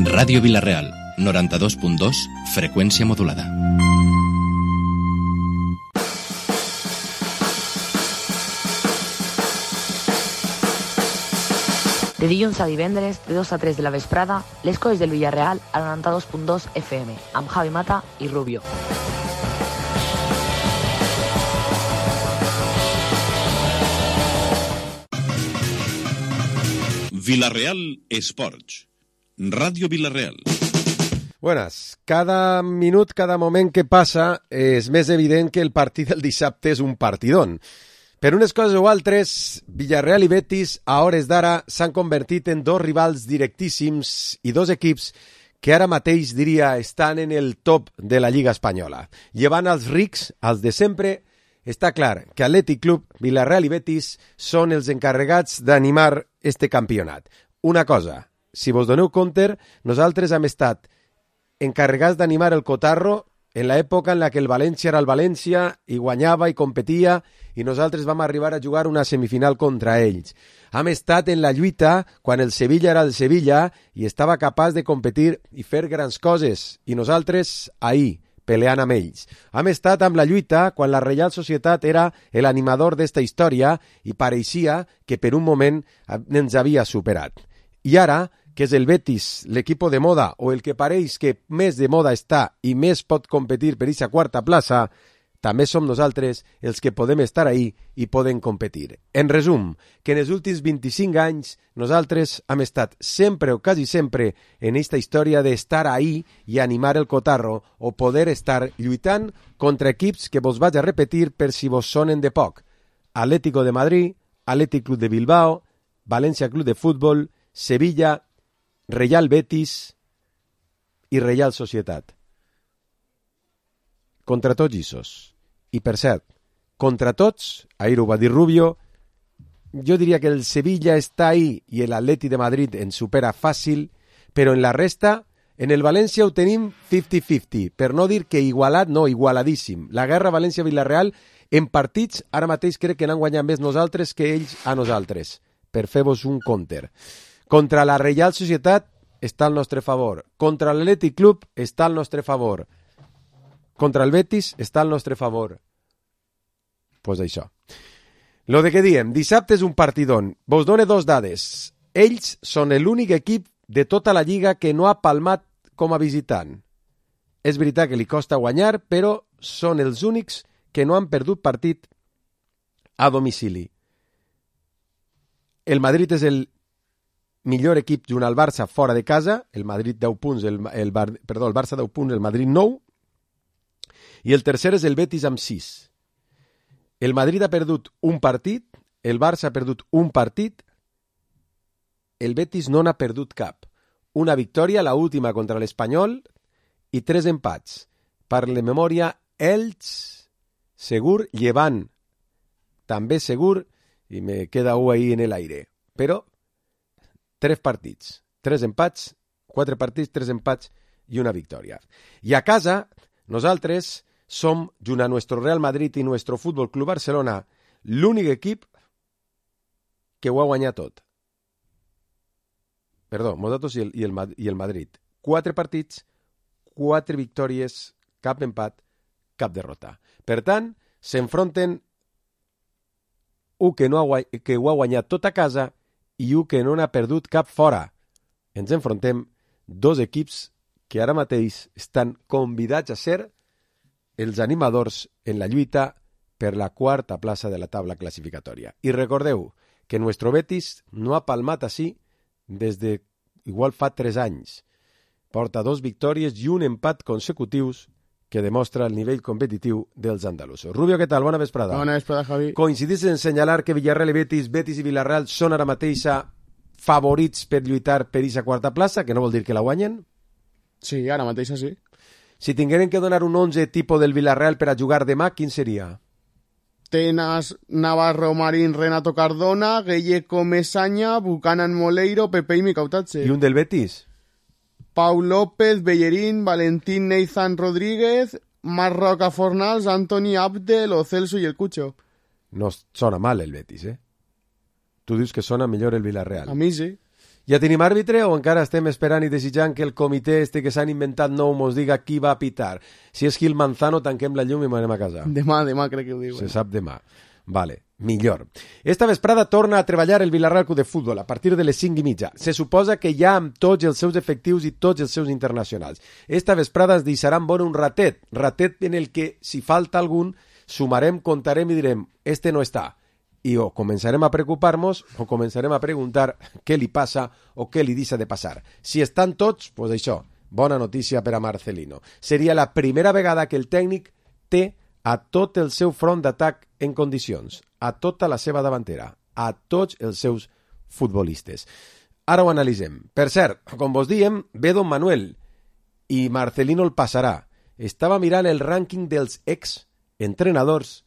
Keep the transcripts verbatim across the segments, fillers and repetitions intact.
Ràdio Vila-real, noranta-dos punt dos, freqüència modulada. De dilluns a divendres, de dos a tres de la vesprada, les coses del Villarreal a noranta-dos punt dos F M, amb Javi Mata i Rubio. Vila-real Esports. Ràdio Vila-real. Buenas. Cada minut, cada moment que passa és més evident que el partit del dissabte és un partidón. Per unes coses o altres, Villarreal i Betis a hores d'ara s'han convertit en dos rivals directíssims i dos equips que ara mateix, diria, estan en el top de la Lliga Espanyola. Llevant els rics, els de sempre, està clar que Atlètic Club, Villarreal i Betis són els encarregats d'animar este campionat. Una cosa, si vos doneu compte, nosaltres hem estat encarregats d'animar el Cotarro en l'època en la que el València era el València i guanyava i competia i nosaltres vam arribar a jugar una semifinal contra ells. Hem estat en la lluita quan el Sevilla era el Sevilla i estava capaç de competir i fer grans coses i nosaltres ahí, peleant amb ells. Hem estat amb la lluita quan la Reial Societat era l'animador d'esta història i pareixia que per un moment ens havia superat. I ara, que és el Betis, l'equip de moda, o el que pareix que més de moda està i més pot competir per aquesta quarta plaça, també som nosaltres els que podem estar ahí i podem competir. En resum, que en els últims vint-i-cinc anys nosaltres hem estat sempre o quasi sempre en aquesta història d'estar ahí i animar el cotarro o poder estar lluitant contra equips que vos vaig a repetir per si vos sonen de poc. Atlético de Madrid, Atlètic Club de Bilbao, València Club de Futbol, Sevilla, Real Betis i Real Societat. Contra tots issos. I per cert, contra tots, ahir ho va dir Rubio, jo diria que el Sevilla està ahí i l'Atlètic de Madrid ens supera fàcil, però en la resta, en el València ho tenim cinquanta-cinquanta, per no dir que igualat, no, igualadíssim. La guerra València-Villarreal en partits, ara mateix crec que n'han guanyat més nosaltres que ells a nosaltres, per fer-vos un counter. Contra la Real Societat està al nostre favor. Contra l'Atlètic Club està al nostre favor. Contra el Betis està al nostre favor. Pues això. Lo de que diem, dissabte és un partidón. Vos done dos dades. Ells són l'únic equip de tota la Lliga que no ha palmat com a visitant. És veritat que li costa guanyar, però són els únics que no han perdut partit a domicili. El Madrid és el millor equip junt al Barça fora de casa, el Madrid deu punts, el, el, perdó, el Barça deu punts, el Madrid nou, i el tercer és el Betis amb sis. El Madrid ha perdut un partit, el Barça ha perdut un partit, el Betis no n'ha perdut cap. Una victòria, la última contra l'Espanyol, i tres empats. Per la memòria, Elx, segur, Llevant, també segur, i me queda u ahí en l'aire. Però tres partits, tres empats, quatre partits, tres empats i una victòria. I a casa, nosaltres som, junt a nuestro Real Madrid i nuestro Fútbol Club Barcelona, l'únic equip que ho ha guanyat tot. Perdó, nosaltres i el, i, el, i el Madrid. Quatre partits, quatre victòries, cap empat, cap derrota. Per tant, s'enfronten un que, no ha, que ho ha guanyat tot a casa i un que no n'ha perdut cap fora. Ens enfrontem dos equips que ara mateix estan convidats a ser els animadors en la lluita per la quarta plaça de la taula classificatòria. I recordeu que nuestro Betis no ha palmat així des de igual fa tres anys. Porta dos victòries i un empat consecutius que demostra el nivell competitiu dels andalusos. Rubio, què tal? Bona vesprada. Bona vesprada, Javi. Coincidís en senyalar que Villarreal i Betis, Betis i Villarreal són ara mateix favorits per lluitar per aquesta quarta plaça, que no vol dir que la guanyen? Sí, ara mateix sí. Si tingueren que donar un onze tipus del Villarreal per a jugar demà, quin seria? Tenas, Navarro, Marín, Renato Cardona, Gallego, Mesaña, Buchanan, Moleiro, Pepe y Micautatxe. I un del Betis? Pau López, Bellerín, Valentín, Neizan Rodríguez, Marc Roca Fornals, Anthony Abde, Lo Celso y el Cucho. No sona mal el Betis, eh? Tu dius que sona millor el Villarreal. A mi sí. Ja tenim àrbitre o encara estem esperant i desitjant que el comitè este que s'han inventat nou mos diga qui va a pitar? Si és Gil Manzano, tanquem la llum i m'anem a casa. Demà, demà crec que ho diuen. Se sap demà. Vale, millor. Esta vesprada torna a treballar el Villarreal Club de Futbol a partir de les cinc i mitja. Se suposa que ja amb tots els seus efectius i tots els seus internacionals. Esta vesprada es deixaran bon un ratet, ratet en el que, si falta algun, sumarem, contarem i direm, este no està. I o començarem a preocupar-nos o començarem a preguntar què li passa o què li deixa de passar. Si estan tots, doncs això, bona notícia per a Marcelino. Seria la primera vegada que el tècnic té a tot el seu front d'atac en condicions, a tota la seva davantera, a tots els seus futbolistes. Ara ho analitzem. Per cert, com vos diem, ve Don Manuel i Marcelino el passarà. Estava mirant el rànquing dels ex-entrenadors.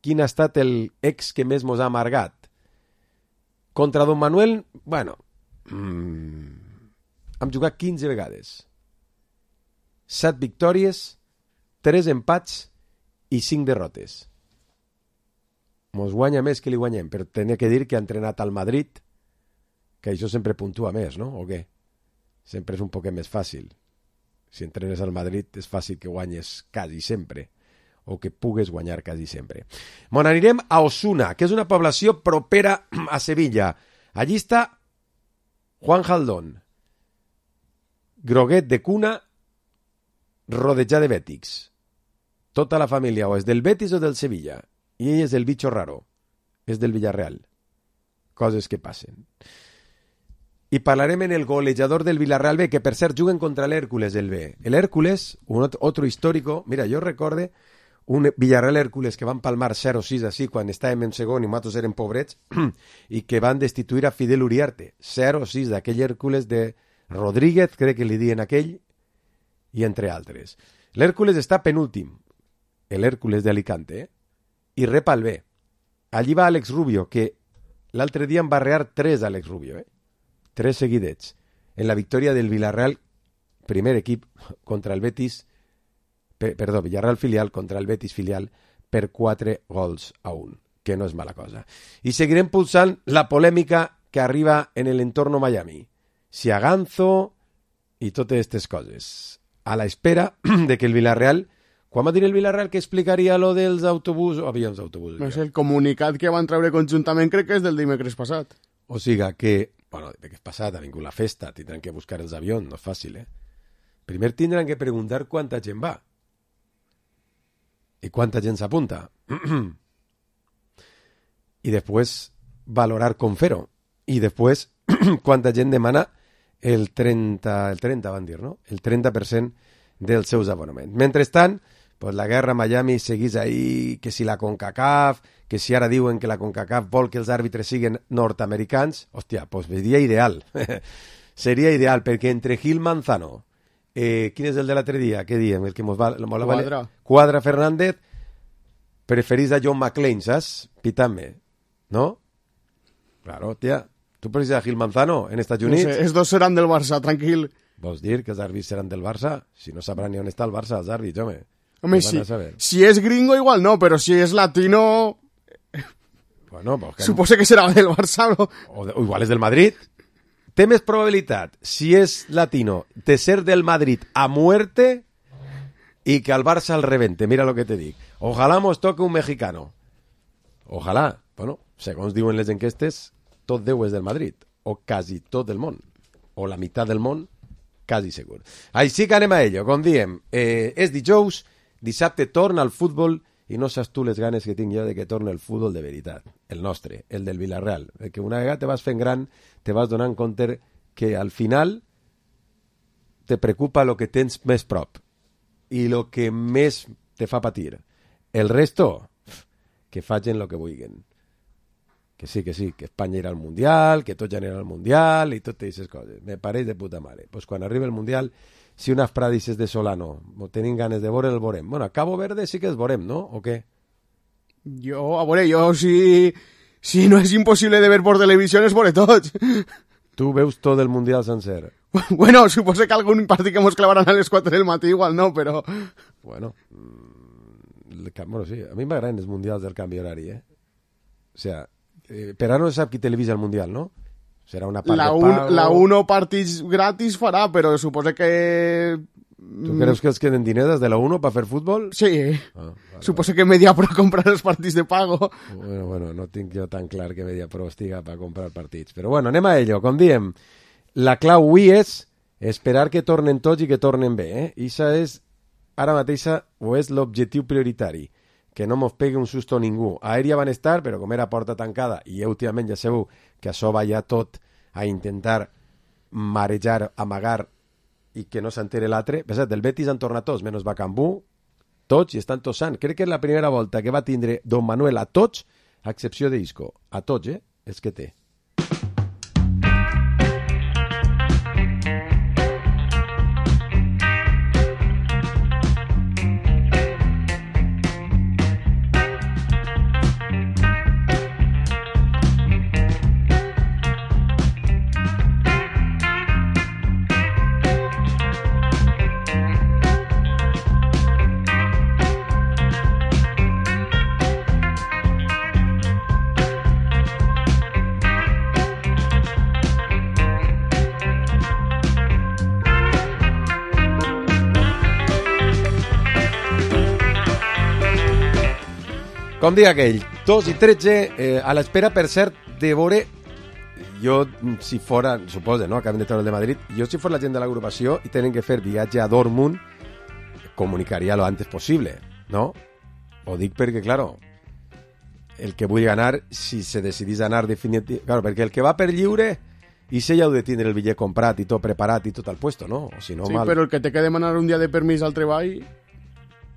Quin ha estat el ex que més mos ha amargat? Contra Don Manuel, bueno, mmm, hem jugat quinze vegades. set victòries, tres empats i cinc derrotes. Mos guanya més que li guanyem, però tenia que dir que ha entrenat al Madrid, que això sempre puntua més, no? O què? Sempre és un poquet més fàcil. Si entrenes al Madrid és fàcil que guanyes quasi sempre, o que pugues guanyar quasi sempre. Bon, anirem a Osuna, que és una població propera a Sevilla. Allí està Juan Jaldón, groguet de cuna, rodejat de bètics. Tota la família o és del Betis o del Sevilla, i ell és el bicho raro, és del Villarreal. Coses que passen. I parlarem en el golejador del Villarreal B, que per cert juguen contra l'Hércules del B. El Hércules, un otro histórico, mira, jo recorde un Villarreal Hércules que van palmar zero sis així quan estàvem en segon i nosaltres eren pobrets i que van destituir a Fidel Uriarte. zero sis d'aquell Hércules de Rodríguez, crec que li diuen aquell, i entre altres. L'Hércules està penúltim, el Hércules d'Alicante, eh? I rep al B. Allí va Alex Rubio, que l'altre dia en va rear tres Alex Rubio, eh? Tres seguidets. En la victòria del Villarreal, primer equip contra el Betis, per, perdó, Villarreal filial contra el Betis filial per quatre gols a un, que no és mala cosa. I seguirem pulsant la polèmica que arriba en l'entorn Miami. Si a Ganzo i totes aquestes coses. A la espera de que el Villarreal... Quan va dir el Villarreal que explicaria lo dels autobusos o avions d'autobusos? No sé, el comunicat que van treure conjuntament crec que és del dimecres passat. O siga que, bueno, dimecres passat ha vingut la festa, tindran que buscar els avions, no és fàcil, eh? Primer tindran que preguntar quanta gent va. I quanta gent s'apunta. I després valorar com fer-ho. I després quanta gent demana el trenta, el trenta van dir, no? El trenta per cent dels seus abonaments. Mentrestant, pues la guerra a Miami seguís ahí, que si la CONCACAF, que si ara diuen que la CONCACAF vol que els àrbitres siguin nord-americans, hòstia, pues seria ideal. Seria ideal, perquè entre Gil Manzano, eh, quin és el de l'altre dia? Què diem? El que mos va... Quadra. Quadra Fernández, preferís a John McClane, saps? Pitant-me, no? Claro, hòstia, tu preferís a Gil Manzano en Estats Units? No sé, els dos seran del Barça, tranquil. Vols dir que els àrbits seran del Barça? Si no sabran ni on està el Barça, els àrbits, home. Home, si, si és gringo igual no, però si és latino... Bueno, pues que... Supose que serà del Barça, no? O, de, o igual és del Madrid. Té més probabilitat, si és latino, de ser del Madrid a muerte i que al Barça el rebente. Mira lo que te dic. Ojalá mos toque un mexicano. Ojalá. Bueno, segons diuen les enquestes, tot Déu és del Madrid. O quasi tot del món. O la meitat del món, quasi segur. Així que anem a ello. Com diem, eh, és dijous, dissabte torna al futbol i no saps tu les ganes que tinc jo de que torni el futbol de veritat. El nostre, el del Villarreal. Que una vegada te vas fent gran, te vas donant compte que al final te preocupa lo que tens més prop i lo que més te fa patir. El resto, que facin lo que vulguin. Que sí, que sí, que Espanya irà al Mundial, que tots ja anirà al Mundial i totes aquestes coses. Me pareix de puta mare. Pues quan arriba el Mundial, si unes pradices de Solano tenim ganes de veure, el veurem. Bueno, a Cabo Verde sí que els veurem, no? O què? Jo, a veure, jo si, si no és impossible de ver por televisió, es veure tots. Tu veus tot el Mundial sencer? Bueno, suposo que algun partit que mos clavaran a les quatre del matí igual no, però... Bueno, el, bueno sí, a mi m'agraden els Mundials del canvi horari, eh? O sea, eh, per ara no se sap qui televisa el Mundial, no? Serà una part la de un, pago... La uno partits gratis farà, però suposo que... Tu creus que els queden diners des de la uno per fer futbol? Sí, Ah, vale, suposo que Mediapro compra els partits de pago. Bueno, bueno, no tinc jo tan clar que Mediapro estiga per comprar partits. Però bueno, anem a ello. Com diem, la clau avui és esperar que tornen tots i que tornen bé. Eh? Ixa és, ara mateixa, o és l'objectiu prioritari. Que no mos pegui un susto ningú. Aèria van estar, però com era porta tancada, i últimament ja sabeu que això va ja tot a intentar marejar, amagar i que no s'entere l'altre. Pesat, del Betis han tornat tots, menys Bacambú, tots i estan tots sants. Crec que és la primera volta que va tindre Don Manuel a tots, a excepció d'Isco. A tots, eh? És que té. Com diga aquell, dos i tretze, eh, a l'espera, per cert, de veure, jo, si fora, suposa, no?, acabem de treure el de Madrid, jo si fos la gent de l'agrupació i tenen que fer viatge a Dortmund, comunicaria lo antes possible, no? Ho dic perquè, claro, el que vull anar, si se decidís anar definitivament... Claro, perquè el que va per lliure, i se ja heu de tindre el bitllet comprat i tot preparat i tot al puesto, no? O si no, Sí, mal. però el que té que demanar un dia de permís al treball...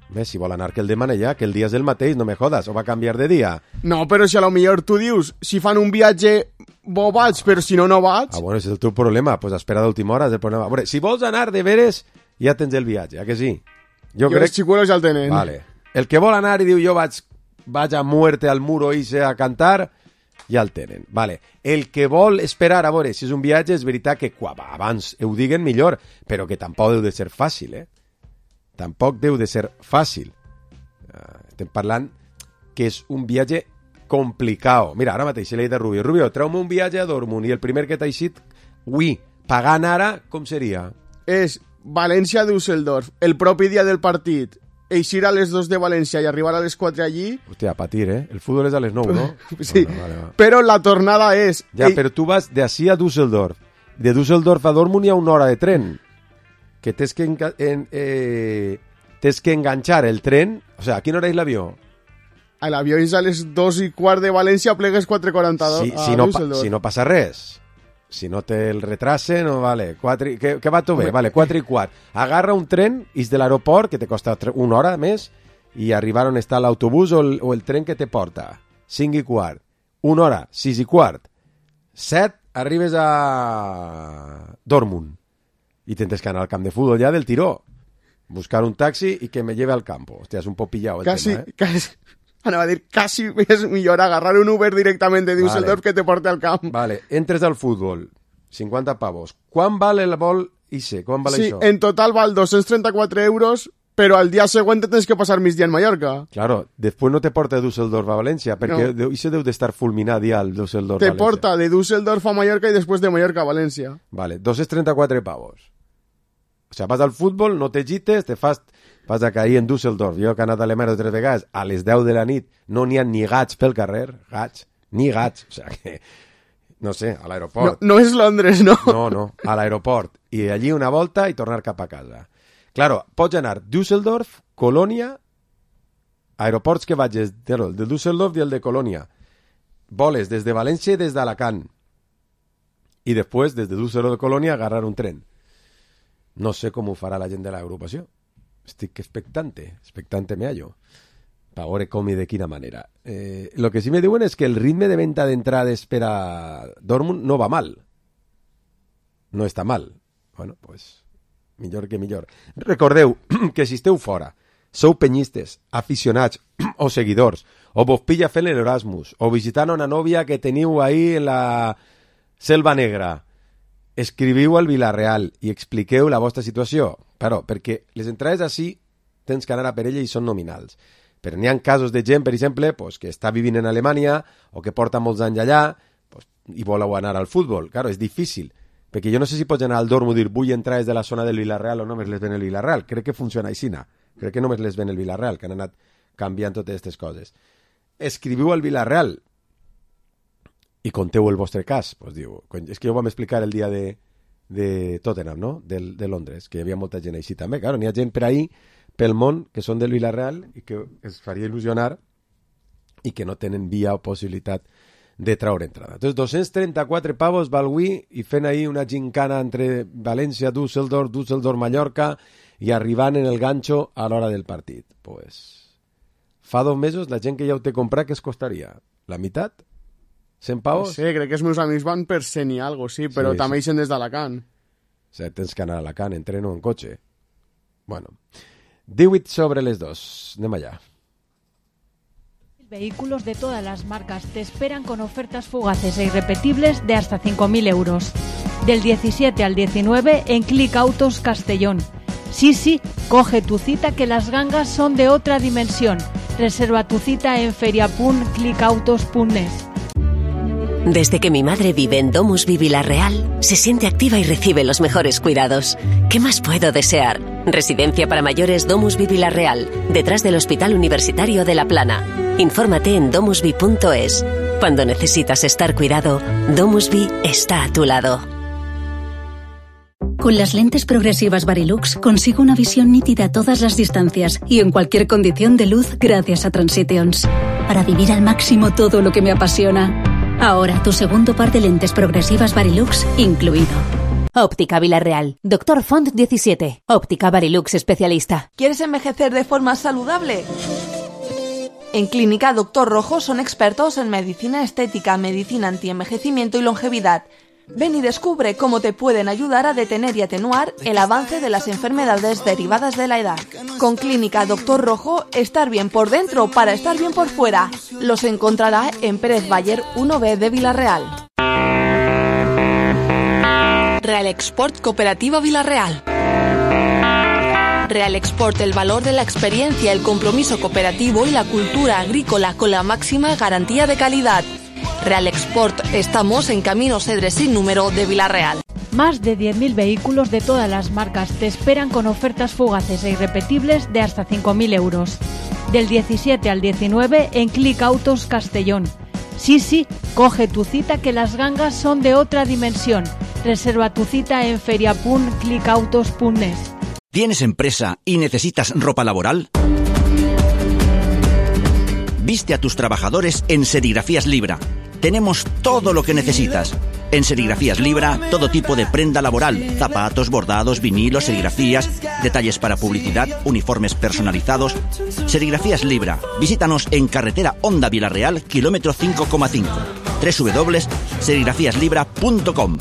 Bé, si vol anar que el demane ja, que el dia és el mateix, no me jodas, o va canviar de dia. No, però si a lo millor tu dius, si fan un viatge, bo vaig, però si no, no vaig. Ah, bueno, ese és el teu problema, pues espera d'última hora, és el problema. A veure, si vols anar de veres, ja tens el viatge, a que sí? Jo, jo els xicuelos ja el tenen. Vale. El que vol anar i diu jo vaig, vaig a muerte al muro i a cantar, ja el tenen. Vale. El que vol esperar, a veure, si és un viatge, és veritat que quan abans ho diguen millor, però que tampoc deu de ser fàcil, eh? Tampoc deu de ser fàcil. Uh, estem parlant que és un viatge complicat. Mira, ara mateix l'he dit a Rubio. Rubio, treu-me un viatge a Dortmund i el primer que t'ha eixit, ui, pagant ara, com seria? És València-Düsseldorf, el propi dia del partit, eixir a les dos de València i arribar a les quatre allí... Hòstia, a patir, eh? El futbol és a les nou, no? Sí, bueno, vale, va. però la tornada és... Ja, però tu vas d'ací a Düsseldorf. De Düsseldorf a Dortmund hi ha una hora de tren. Que tens que, enga en, eh, tens que enganxar el tren... O sea, a quina hora és l'avió? L'avió és a les dos i quart de València, plegues quatre quaranta-dos si, a si, no, Düsseldorf. si no passa res. Si no té el retrase, no vale. Quatre, que, que va tot bé, vale, quatre i quart. Agarra un tren, is de l'aeroport, que te costa una hora més, i arribar on està l'autobús o, el, o el tren que te porta. Cinc i quart. Una hora, sis i quart. Set, arribes a Dortmund. I tens que anar al camp de futbol ja del tiró. Buscar un taxi i que me lleve al campo. Hòstia, és un poc pillau el casi, tema, eh? Casi, anava a dir, quasi és millor agarrar un Uber directament de Düsseldorf vale. Que te porte al camp. Vale, entres al futbol, cinquanta pavos. Quan val el vol ixe? Quan val sí, això? en total val dos-cents trenta-quatre euros, però al dia següent tens que passar migdia en Mallorca. Claro, després no te porta de Düsseldorf a València, perquè no. Ixe deu d'estar fulminat ja el Düsseldorf te València. Te porta de Düsseldorf a Mallorca i després de Mallorca a València. Vale, dos-cents trenta-quatre pavos. O sea, vas al futbol, no te gites, te fas, vas a cair en Düsseldorf. Jo que he anat a Alemanya tres vegades, a les deu de la nit no n'hi ha ni gats pel carrer, gats, ni gats, o sea que, no sé, a l'aeroport. No, no és Londres, no? No, no, a l'aeroport. I allí una volta i tornar cap a casa. Claro, pots anar Düsseldorf, Colònia, aeroports que vagis, el de Düsseldorf i el de Colònia. Voles des de València i des d'Alacant. I després, des de Düsseldorf de Colònia, agarrar un tren. No sé com ho farà la gent de l'agrupació. Estic expectante, expectante me hallo. Per veure com i de quina manera. Eh, lo que sí me diuen és que el ritme de venta d'entrades per a Dortmund no va mal. No està mal. Bueno, pues, millor que millor. Recordeu que si esteu fora, sou penyistes, aficionats o seguidors, o vos pilla fent l'Erasmus, o visitant una nòvia que teniu ahí en la Selva Negra, escriviu al Vilareal i expliqueu la vostra situació. Però, perquè les entrades així tens que anar a per ella i són nominals. Però n'hi ha casos de gent, per exemple, pues, que està vivint en Alemanya o que porta molts anys allà, pues, i voleu anar al futbol. Claro, és difícil, perquè jo no sé si pots anar al dormo i dir vull entrar des de la zona del Villarreal o només les ven el Villarreal. Crec que funciona així, no? Crec que només les ven el Villarreal, que han anat canviant totes aquestes coses. Escriviu al Villarreal i conteu el vostre cas. Pues diu, és que jo ho vam explicar el dia de, de Tottenham, no? De, de Londres, que hi havia molta gent així també. Claro, n'hi ha gent per ahí, pel món, que són del Villarreal i que es faria il·lusionar i que no tenen via o possibilitat de traure entrada. Entonces, dos-cents trenta-quatre pavos Balgüí i fent ahí una gincana entre València, Düsseldorf, Düsseldorf, Mallorca i arribant en el ganxo a l'hora del partit. Pues, fa dos mesos la gent que ja ho té comprat, què es costaria? La meitat? cent pavos? Sí, crec que els meus amics van per cent i algo, sí, però sí, també hi són des d'Alacant. O sigui, tens que anar a Alacant, entreno en cotxe. Bueno, divuit sobre les dos. Anem allá. Vehículos de todas las marcas te esperan con ofertas fugaces e irrepetibles de hasta cinco mil euros. Del diecisiete al diecinueve en Click Autos Castellón. Sí, sí, coge tu cita que las gangas son de otra dimensión. Reserva tu cita en feria punto click autos punto net. Desde que mi madre vive en Domusvi Villarreal, se siente activa y recibe los mejores cuidados. ¿Qué más puedo desear? Residencia para mayores Domusvi Villarreal, detrás del Hospital Universitario de La Plana. Infórmate en domusvi punto es. Cuando necesitas estar cuidado, Domusvi está a tu lado. Con las lentes progresivas Varilux consigo una visión nítida a todas las distancias y en cualquier condición de luz gracias a Transitions. Para vivir al máximo todo lo que me apasiona. Ahora tu segundo par de lentes progresivas Varilux incluido. Óptica Villarreal. Doctor Font diecisiete. Óptica Varilux especialista. ¿Quieres envejecer de forma saludable? En Clínica Doctor Rojo son expertos en medicina estética, medicina antienvejecimiento y longevidad. Ven y descubre cómo te pueden ayudar a detener y atenuar el avance de las enfermedades derivadas de la edad. Con Clínica Doctor Rojo, estar bien por dentro para estar bien por fuera. Los encontrará en Pérez Bayer uno B de Villarreal. Real Export Cooperativa Villarreal. Real Export, el valor de la experiencia, el compromiso cooperativo y la cultura agrícola con la máxima garantía de calidad. Real Export, estamos en Camino Cedres sin número de Villarreal. Más de diez mil vehículos de todas las marcas te esperan con ofertas fugaces e irrepetibles de hasta cinco mil euros. Del diecisiete al diecinueve en Click Autos Castellón. Sí, sí, coge tu cita que las gangas son de otra dimensión. Reserva tu cita en feria punto click autos punto net. ¿Tienes empresa y necesitas ropa laboral? Viste a tus trabajadores en Serigrafías Libra. Tenemos todo lo que necesitas. En Serigrafías Libra, todo tipo de prenda laboral, zapatos, bordados, vinilos, serigrafías, detalles para publicidad, uniformes personalizados. Serigrafías Libra. Visítanos en carretera Honda Villarreal, kilómetro cinco coma cinco. doble u doble u doble u punto serigrafías libra punto com.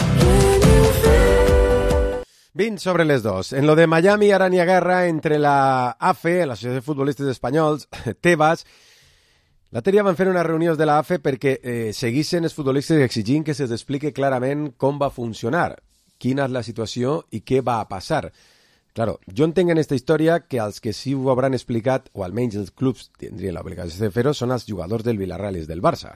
vint sobre les dos. En lo de Miami ara n'hi ha guerra entre la A F E, l'Associació de Futbolistes Espanyols, Tebas. L'altre dia van fer unes reunions de la A F E perquè eh, seguissin els futbolistes exigint que se'ls explique clarament com va funcionar, quina és la situació i què va passar. Claro, jo entenc en aquesta història que els que sí ho hauran explicat, o almenys els clubs tindrien l'obligació de fer-ho, són els jugadors del Villarreal i del Barça.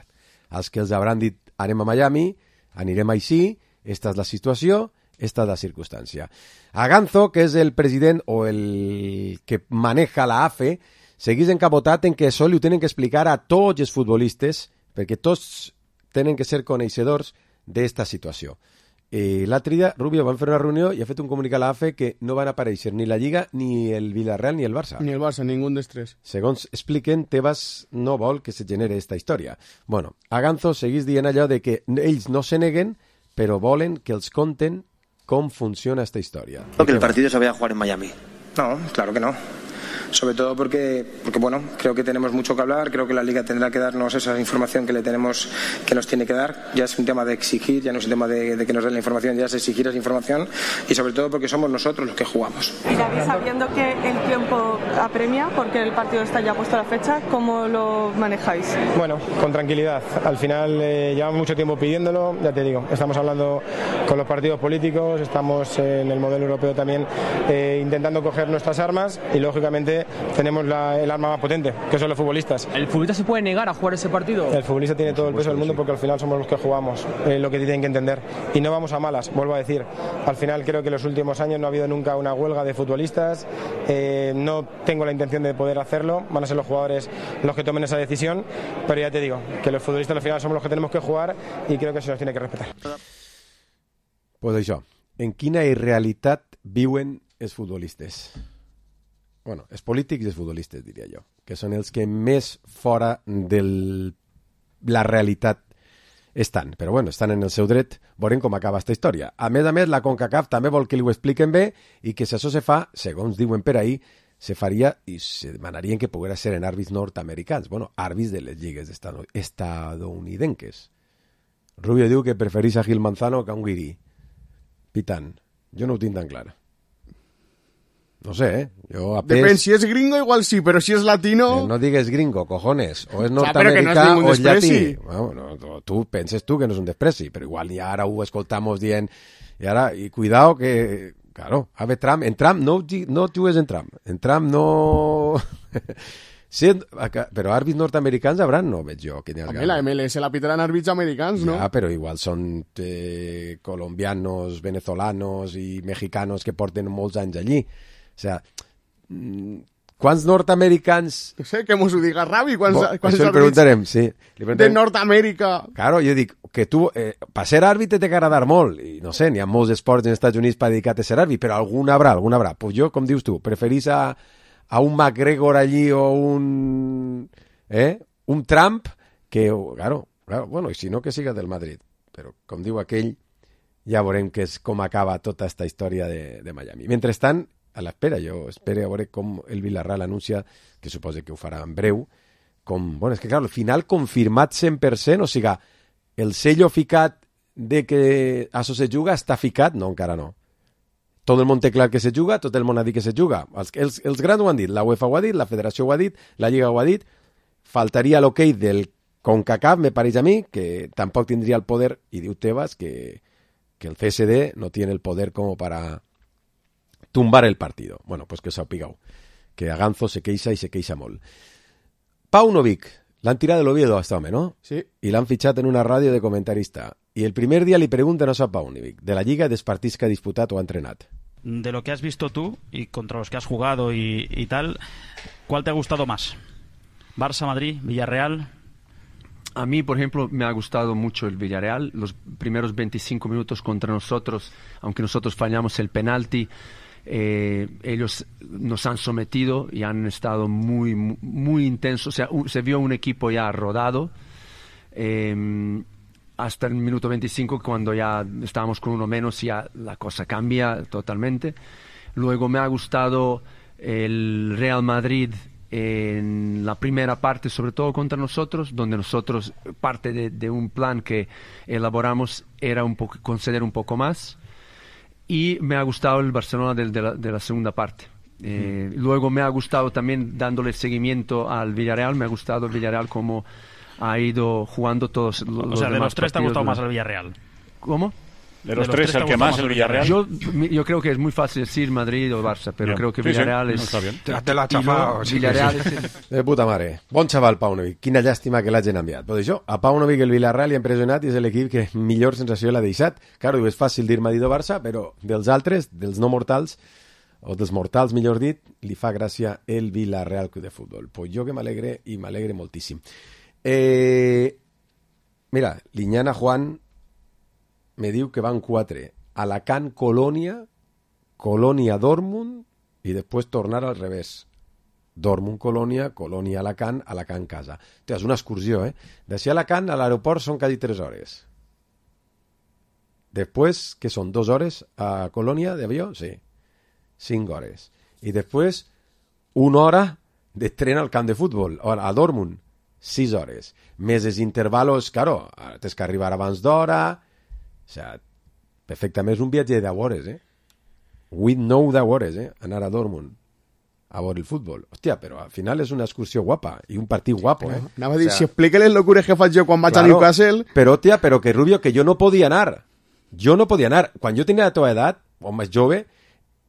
Els que els hauran dit, anem a Miami, anirem així, esta és la situació, esta és la circumstància. A Ganzo, que és el president o el que maneja la A F E, seguís encapotat en que això li ho tenen que explicar a tots els futbolistes, perquè tots tenen que ser coneixedors d'esta situació. Eh, L'altre dia, Rubio, van fer una reunió i ha fet un comunicat a la A F E que no van aparèixer ni la Lliga, ni el Villarreal, ni el Barça. Ni el Barça, ningú dels tres. Segons expliquen, Tebas no vol que se genere esta història. Bueno, a Ganzo seguís dient allò de que ells no se neguen, però volen que els conten cómo funciona esta historia. Creo que el partido se vaya a jugar en Miami. No, claro que no. Sobre todo porque, porque, bueno, creo que tenemos mucho que hablar, creo que la Liga tendrá que darnos esa información que le tenemos, que nos tiene que dar. Ya es un tema de exigir, ya no es un tema de, de que nos den la información, ya es exigir esa información y sobre todo porque somos nosotros los que jugamos. Y David, sabiendo que el tiempo apremia, porque el partido está ya puesto a la fecha, ¿cómo lo manejáis? Bueno, con tranquilidad. Al final eh, llevamos mucho tiempo pidiéndolo, ya te digo, estamos hablando con los partidos políticos, estamos en el modelo europeo también eh, intentando coger nuestras armas y lógicamente obviamente tenemos la, el arma más potente, que son los futbolistas. ¿El futbolista se puede negar a jugar ese partido? El futbolista tiene todo el peso del mundo porque al final somos los que jugamos, eh, lo que tienen que entender. Y no vamos a malas, vuelvo a decir. Al final creo que en los últimos años no ha habido nunca una huelga de futbolistas, eh, no tengo la intención de poder hacerlo, van a ser los jugadores los que tomen esa decisión, pero ya te digo, que los futbolistas al final somos los que tenemos que jugar y creo que se nos tiene que respetar. Pues això, en quina irrealitat viuen els futbolistes? Bueno, els polítics i els futbolistes, diria jo, que són els que més fora de la realitat estan. Però bueno, estan en el seu dret, veurem com acaba aquesta història. A més a més, la CONCACAF també vol que li ho expliquen bé i que si això se fa, segons diuen per ahí, se faria i se demanarien que poguera ser en àrbits nord-americans. Bueno, àrbits de les lligues estadounidenques. Rubio diu que preferís a Gil Manzano que a un guirí. Pitant. Jo no ho tinc tan clar. No sé, eh? Jo a pes... Depèn, si és gringo igual sí, però si és latino... Eh, no digues gringo, cojones. O és nord-americà no o és llatí. Bueno, no, tu penses tu que no és un despreci, però igual ni ara ho escoltamos dient... I ara, i cuidao que... Claro, a ver, Trump, en Trump no, no jugues en Trump. En Trump no... Sí, però àrbits nord-americans haurà, no veig jo. Home, la M L S la pitaran àrbits americans, no? Ja, però igual són eh, colombianos, venezolanos i mexicanos que porten molts anys allí. O sea, quants nord-americans... No sé, que mos ho diga Ravi, quants, Bo, quants això li preguntarem, sí. Li preguntarem. De Nord-Amèrica. Claro, jo dic, que tu, eh, per ser àrbitre té que agradar molt, i no sé, n'hi ha molts esports en Estats Units per dedicar a ser àrbitre, però algun haurà, algun haurà. Pues jo, com dius tu, preferís a, a un McGregor allí o un... Eh? Un Trump, que, claro, claro, bueno, i si no que siga del Madrid. Però, com diu aquell, ja veurem que és com acaba tota aquesta història de, de Miami. Mentrestant, a l'espera, jo espero a veure com el Villarreal anuncia, que suposa que ho farà en breu, com, bueno, és que clar, al final confirmat cent per cent, o sigui, el sello ficat de que això se juga està ficat? No, encara no. Tot el món té clar que se juga, tot el món ha dit que se juga. Els, els, els grans ho han dit, la UEFA ho ha dit, la Federació ho ha dit, la Lliga ho ha dit, faltaria l'ok del CONCACAF, me pareix a mi, que tampoc tindria el poder, i diu Tebas que, que el C S D no tiene el poder como para tumbar el partido. Bueno, pues que us sapigueu, que a Ganzo se queixa i se queixa molt. Paunovic, l'han tirat de l'Oviedo a este home, ¿no? Sí. I l'han fitxat en una ràdio de comentarista. I el primer dia li pregunten a Paunovic, de la Lliga dels partits que ha disputat o ha entrenat. De lo que has visto tú y contra los que has jugado y, y tal, ¿cuál te ha gustado más? ¿Barça, Madrid, Villarreal? A mí, por ejemplo, me ha gustado mucho el Villarreal. Los primeros veinticinco minutos contra nosotros, aunque nosotros fallamos el penalti, eh, ellos nos han sometido y han estado muy, muy, muy intensos. O sea, un, se vio un equipo ya rodado eh, hasta el minuto veinticinco, cuando ya estábamos con uno menos, ya la cosa cambia totalmente. Luego me ha gustado el Real Madrid en la primera parte, sobre todo contra nosotros, donde nosotros, parte de, de un plan que elaboramos era un poco, conceder un poco más. Y me ha gustado el Barcelona de, de, la, de la segunda parte. Eh, mm. Luego me ha gustado también, dándole seguimiento al Villarreal, me ha gustado el Villarreal como ha ido jugando todos los demás. O sea, de los tres te ha gustado de... más el Villarreal. ¿Cómo? De los, de los tres, tres el que más, el Villarreal. Yo, yo creo que es muy fácil decir Madrid o Barça, pero bien. Creo que Villarreal sí, sí. es... No, bien. Te, te l'ha xafat. Sí, Villarreal és... De puta mare. Bon xaval, Paunovic. Quina llàstima que l'hagin enviat. Però això, a Paunovic el Villarreal li ha impressionat i és l'equip que millor sensació l'ha deixat. Claro, és fàcil dir Madrid o Barça, però dels altres, dels no mortals, o dels mortals, millor dit, li fa gràcia el Villarreal Club de Futbol. Pues jo que m'alegre i m'alegre moltíssim. Eh... Mira, Liñana Juan me diu que van quatre. Alacant, Colònia, Colònia, Dortmund i després tornar al revés. Dortmund, Colònia, Colònia, Alacant, Alacant, casa. Té, és una excursió, eh? D'ací a Alacant a l'aeroport són quasi tres hores. Després, que són dues hores a Colònia d'avió? Sí. Cinc hores. I després, una hora de tren al camp de futbol, a Dortmund. Sis hores. Més els intervalos, claro, tens que arribar abans d'hora. O sigui, perfectament és un viatge de deu hores, eh? vuit nou deu hores, eh? Anar a Dortmund a veure el futbol. Hòstia, però al final és una excursió guapa i un partit guapo, eh? Anava a dir, o sea, si explica les locures que faig jo quan vaig claro, a Newcastle... Però, hòstia, però que Rubio, que jo no podia anar. Jo no podia anar. Quan jo tenia la teva edat, o més jove,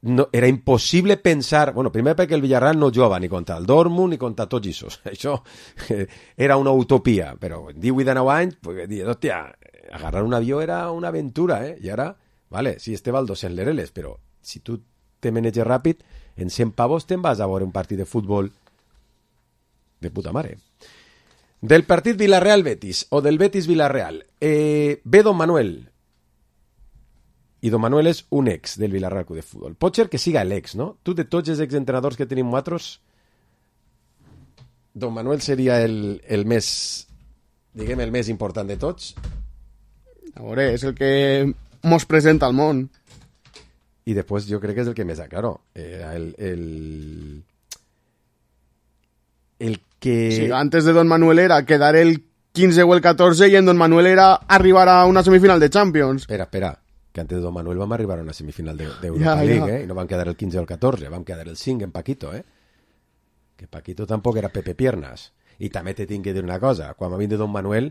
no, era impossible pensar... Bueno, primer perquè el Villarreal no jugava ni contra el Dortmund ni contra tots aquests. Això eh, era una utopia, però en divuit de nou anys, pues, dius, hòstia, agarrar un avió era una aventura, eh? I ara, vale, sí, este val dos-cents lereles, però si tu te maneges ràpid, en cent pavos te'n vas a veure un partit de futbol de puta mare. Del partit Villarreal-Betis, o del Betis-Villarreal, eh, ve Don Manuel... I Don Manuel és un ex del Villarreal Club de Futbol. Pot ser que siga l'ex, no? Tu, de tots els exentrenadors que tenim nosaltres, Don Manuel seria el, el més, diguem, el més important de tots. A veure, és el que mos presenta al món. I després jo crec que és el que més, claro, era el... el... el que... Sí, antes de Don Manuel era quedar el quinze o el catorze i en Don Manuel era arribar a una semifinal de Champions. Espera, espera. Que antes de Don Manuel vam arribar a una semifinal d'Europa de, League, ja. eh? I no vam quedar el quinze o el catorze, vam quedar el cinc en Paquito, eh? Que Paquito tampoc era Pepe Piernas. I també te tinc que dir una cosa, quan va vindre Don Manuel,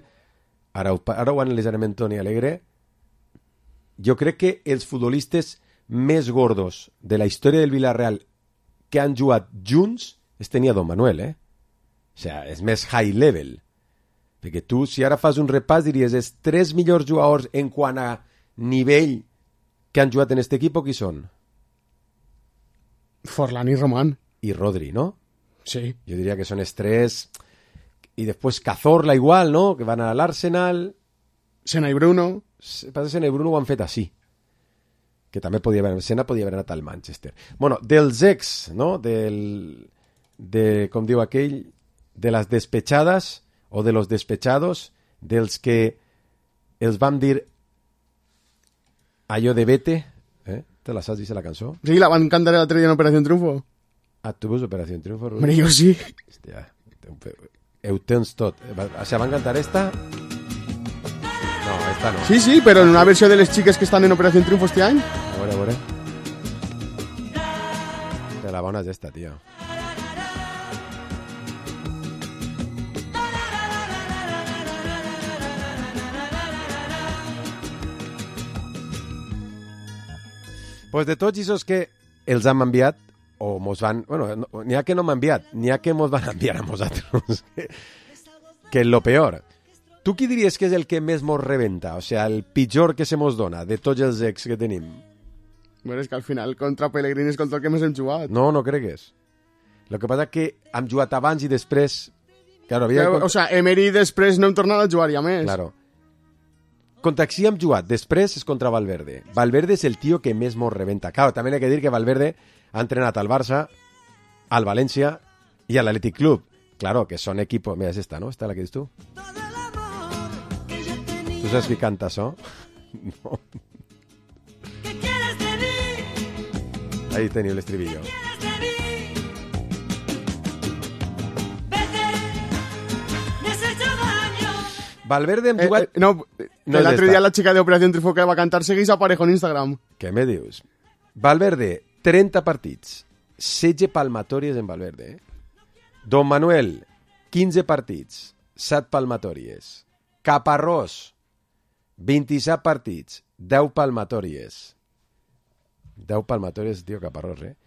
ara ho, ara ho analitzarem en Toni Alegre, jo crec que els futbolistes més gordos de la història del Villarreal que han jugat junts es tenia Don Manuel, eh? O sigui, és més high level. Perquè tu, si ara fas un repàs, diries, els tres millors jugadors en quant a nivell que han jugat en este equipo, qui són? Forlán i Román. I Rodri, ¿no? Sí. Jo diria que són els tres. I després Cazorla igual, ¿no? Que van a l'Arsenal. Sena i Bruno. Passa que Sena i Bruno ho han fet així. Que també podia haver... Sena podia haver anat al Manchester. Bueno, dels ex, ¿no? Del... De, com diu aquell, de les despechades o de los despechados, dels que els vam dir allò de vete, eh? Te la saps, dice la cançó? Sí, la van cantar l'altre dia en Operació Triunfo. Ah, tu veus Operació Triunfo? Hombre, jo sí. Hòstia, ho tens tot. O sea, van cantar esta? No, esta no. Sí, sí, però en una versió de les xiques que estan en Operació Triunfo este any. A veure, a veure. De la bona és esta, tio. Pues de tots aquests que els han enviat, o mos van... Bueno, no, n'hi ha que no m'han enviat, n'hi ha que mos van enviar a nosaltres. Que, que és lo peor. Tu qui diries que és el que més mos rebenta? O sigui, el pitjor que se mos dona de tots els ex que tenim? Bueno, és que al final contra Pellegrini és contra el que més hem jugat. No, no cregues. El que passa és que hem jugat abans i després... Claro, havia... Claro, o sea, Emery després no hem tornat a jugar ja més. Claro. Contra qui hem jugat? Després és contra Valverde. Valverde és el tio que més mos rebenta. Claro, també he de dir que Valverde ha entrenat al Barça, al València i a l'Athletic Club. Claro, que són equipos... Mira, és esta, ¿no? Esta la que dius tu. Tu saps qui canta això? No. Ahí teniu l'estribillo. Valverde hem jugat... Eh, eh, no, no l'altre dia la xica d'Operació Triunfo que va cantar seguís aparejo en Instagram. Què me dius? Valverde, trenta partits. setze palmatòries en Valverde. Eh? Don Manuel, quinze partits. set palmatòries. Caparrós, vint-i-set partits. deu palmatòries. deu palmatòries, tio, Caparrós, eh?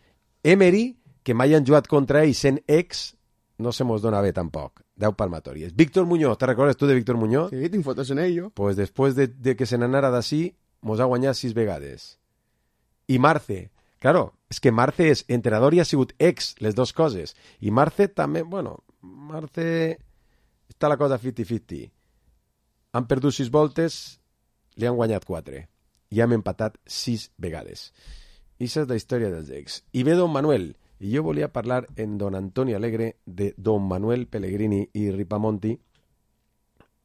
Emery, que mai han jugat contra ell sent ex, no se mos dona bé tampoc. deu palmatòries. Víctor Muñoz, ¿te recordes tu de Víctor Muñoz? Sí, tinc fotos en ell, jo. Pues després de, de que se n'anara d'ací, mos ha guanyat sis vegades. I Marce, claro, és que Marce és entrenador i ha sigut ex, les dues coses. I Marce també, bueno, Marce... Està la cosa cinquanta-cinquanta. Han perdut sis voltes, li han guanyat quatre. I hem empatat sis vegades. I això és la història dels ex. I ve Don Manuel... I jo volia parlar en Don Antoni Alegre de Don Manuel Pellegrini i Ripamonti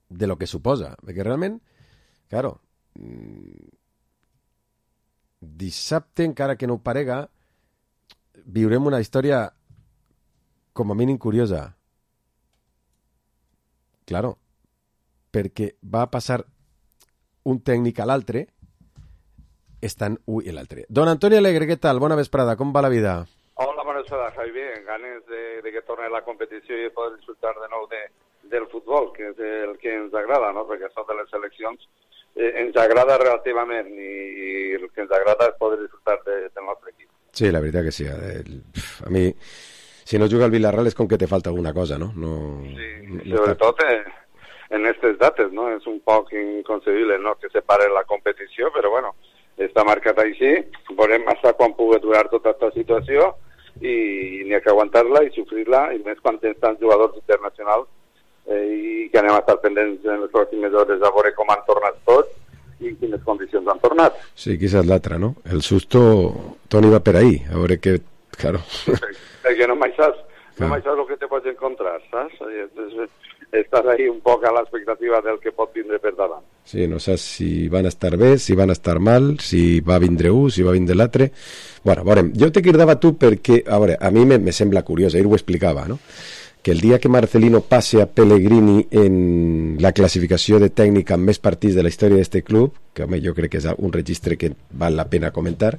de lo que suposa. Perquè realment, claro, dissabte, encara que no ho parega, viurem una història com a mínim curiosa. Claro, perquè va passar un tècnic a l'altre, estan un i l'altre. Don Antoni Alegre, què tal? Bona vesprada, com va la vida? Hola, bona vesprada, Javi. Bien, ganes de, de que torne la competició i poder disfrutar de nou de, del futbol, que és el que ens agrada, no? Perquè això de les seleccions eh, ens agrada relativament i, i el que ens agrada és poder disfrutar de, del nostre equip. Sí, la veritat que sí. El, a mi, si no juga al Villarreal és com que te falta alguna cosa, no? no sí, no, no sobretot eh, en aquestes dates, no? És un poc inconcebible, no?, que se pare la competició, però bueno, està marcat així, veurem massa quan pugui durar tota aquesta situació i n'hi ha que aguantar-la i sofrir-la, i més quan tens tants jugadors internacionals eh, i que anem a estar pendents en les pròximes hores a veure com han tornat tots i en quines condicions han tornat. Sí, quizás l'altra, no? El susto, Toni, va per ahí, a veure que, claro... Perquè no mai saps, no mai saps el que te pots encontrar, saps? Estàs ahí un poc a l'expectativa del que pot vindre per davant. Sí, no saps si van a estar bé, si van a estar mal, si va vindre un, si va vindre l'altre... Bueno, veurem, jo te cridava tu perquè, a veure, a mi me, me sembla curiós, ahir ho explicava, no?, que el dia que Marcelino passe a Pellegrini en la classificació de tècnic amb més partits de la història d'este club, que home, jo crec que és un registre que val la pena comentar,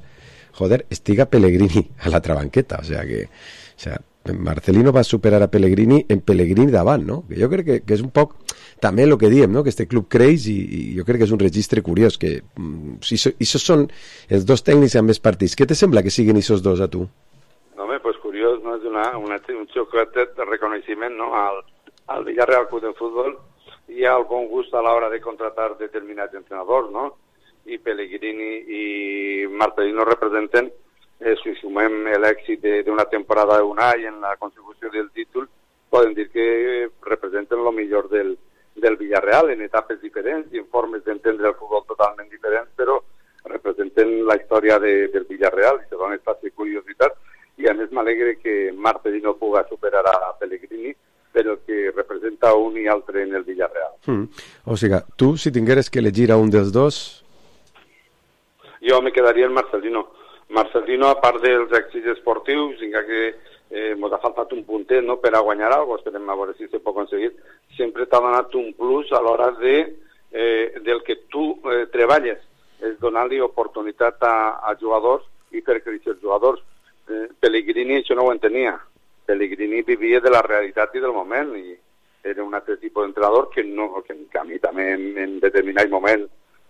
joder, estiga Pellegrini a l'altra banqueta, o sea que o sea, Marcelino va superar a Pellegrini en Pellegrini davant, no? Que jo crec que, que és un poc també el que diem, no?, que este club creix i, i jo crec que és un registre curiós, que si so, això són els dos tècnics amb més partits, què te sembla que siguin aquests dos a tu? No, home, pues curiós, no? És una, una, un xocotet de reconeixement, no?, al, al Villarreal Club de Futbol i al bon gust a l'hora de contratar determinats entrenadors, no? I Pellegrini i Marcelino representen, eh, si sumem l'èxit d'una temporada d'un any en la consecució del títol, poden dir que representen el millor del, del Villarreal en etapes diferents i en formes d'entendre el futbol totalment diferents, però representen la història de, del Villarreal i se dona aquesta curiositat. I a més m'alegre que Marcelino puga superar a Pellegrini, però que representa un i altre en el Villarreal. Mm. O sigui, tu, si tingueres que elegir a un dels dos... Jo me quedaria en Marcelino. Marcelino, a part dels èxits esportius, encara que eh, ens ha faltat un puntet, no?, per a guanyar alguna cosa, esperem a veure si se pot aconseguir, sempre t'ha donat un plus a l'hora de, eh, del que tu eh, treballes, és donar-li oportunitat a, a jugadors i fer créixer els jugadors. Pellegrini això no ho entenia. Pellegrini vivia de la realitat i del moment i era un altre tipus d'entrenador que, no, que, que a mi també en, en determinat moment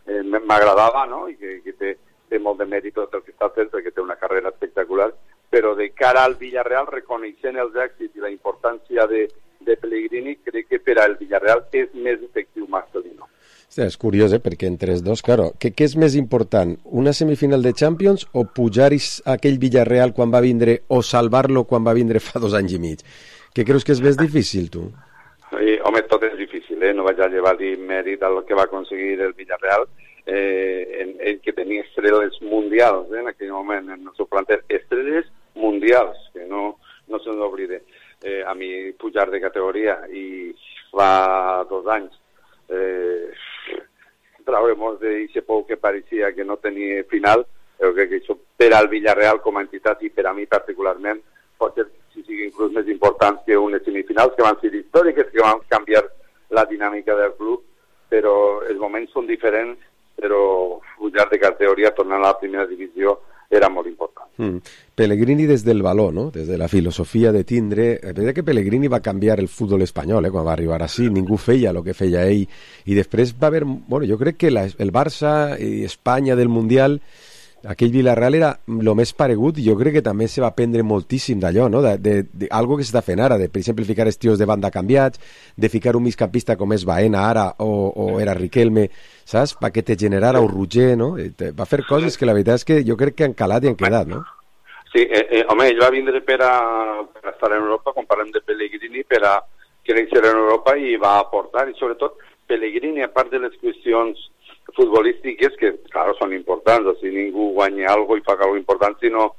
eh, m'agradava, no?, i que, que té, té molt de mèrit tot el que està fent perquè té una carrera espectacular, però de cara al Villarreal, reconeixent els èxits i la importància de, de Pellegrini, crec que per al Villarreal és més efectiu Marcelino. Sí, és curiós, eh? Perquè entre els dos, claro, què, què és més important, una semifinal de Champions o pujar aquell Villarreal quan va vindre o salvar-lo quan va vindre fa dos anys i mig? Què creus que és més difícil, tu? Sí, home, tot és difícil, eh? No vaig a llevar-li mèrit al que va aconseguir el Villarreal, eh, en, en que tenia estrelles mundials, eh, en aquell moment, en el seu planter, estrelles mundials, que no, no se n'oblide. Eh, a mi pujar de categoria i fa dos anys eh, trauremos d'aquest pou que pareixia que no tenia final, però crec que això per al Villarreal com a entitat i per a mi particularment pot ser si sigui inclús més important que unes semifinals que van ser històriques, que van canviar la dinàmica del club, però els moments són diferents, però pujar de categoria, tornar a la primera divisió era molt important. Mm. Pellegrini des del valor, no?, des de la filosofia de tindre... És veritat que Pellegrini va canviar el futbol espanyol, eh? Quan va arribar així, ningú feia el que feia ell, i després va haver... Bueno, jo crec que la, el Barça i Espanya del Mundial, aquell Villarreal era el més paregut, i jo crec que també se va aprendre moltíssim d'allò, no?, de, de, de algo que s'està fent ara, de, per exemple, ficar els tios de banda canviats, de ficar un migcampista com és Baena ara, o, o era Riquelme, saps?, perquè te generara un Roger, no?, va fer coses que la veritat és que jo crec que han calat i han quedat, no? Sí, eh, eh, home, ell va vindre per a, per a estar en Europa, quan parlem de Pellegrini, per a créixer en Europa i va aportar, i sobretot Pellegrini, a part de les qüestions futbolístiques, que, claro, són importants, o sigui, ningú guanya algo i fa algo important si no,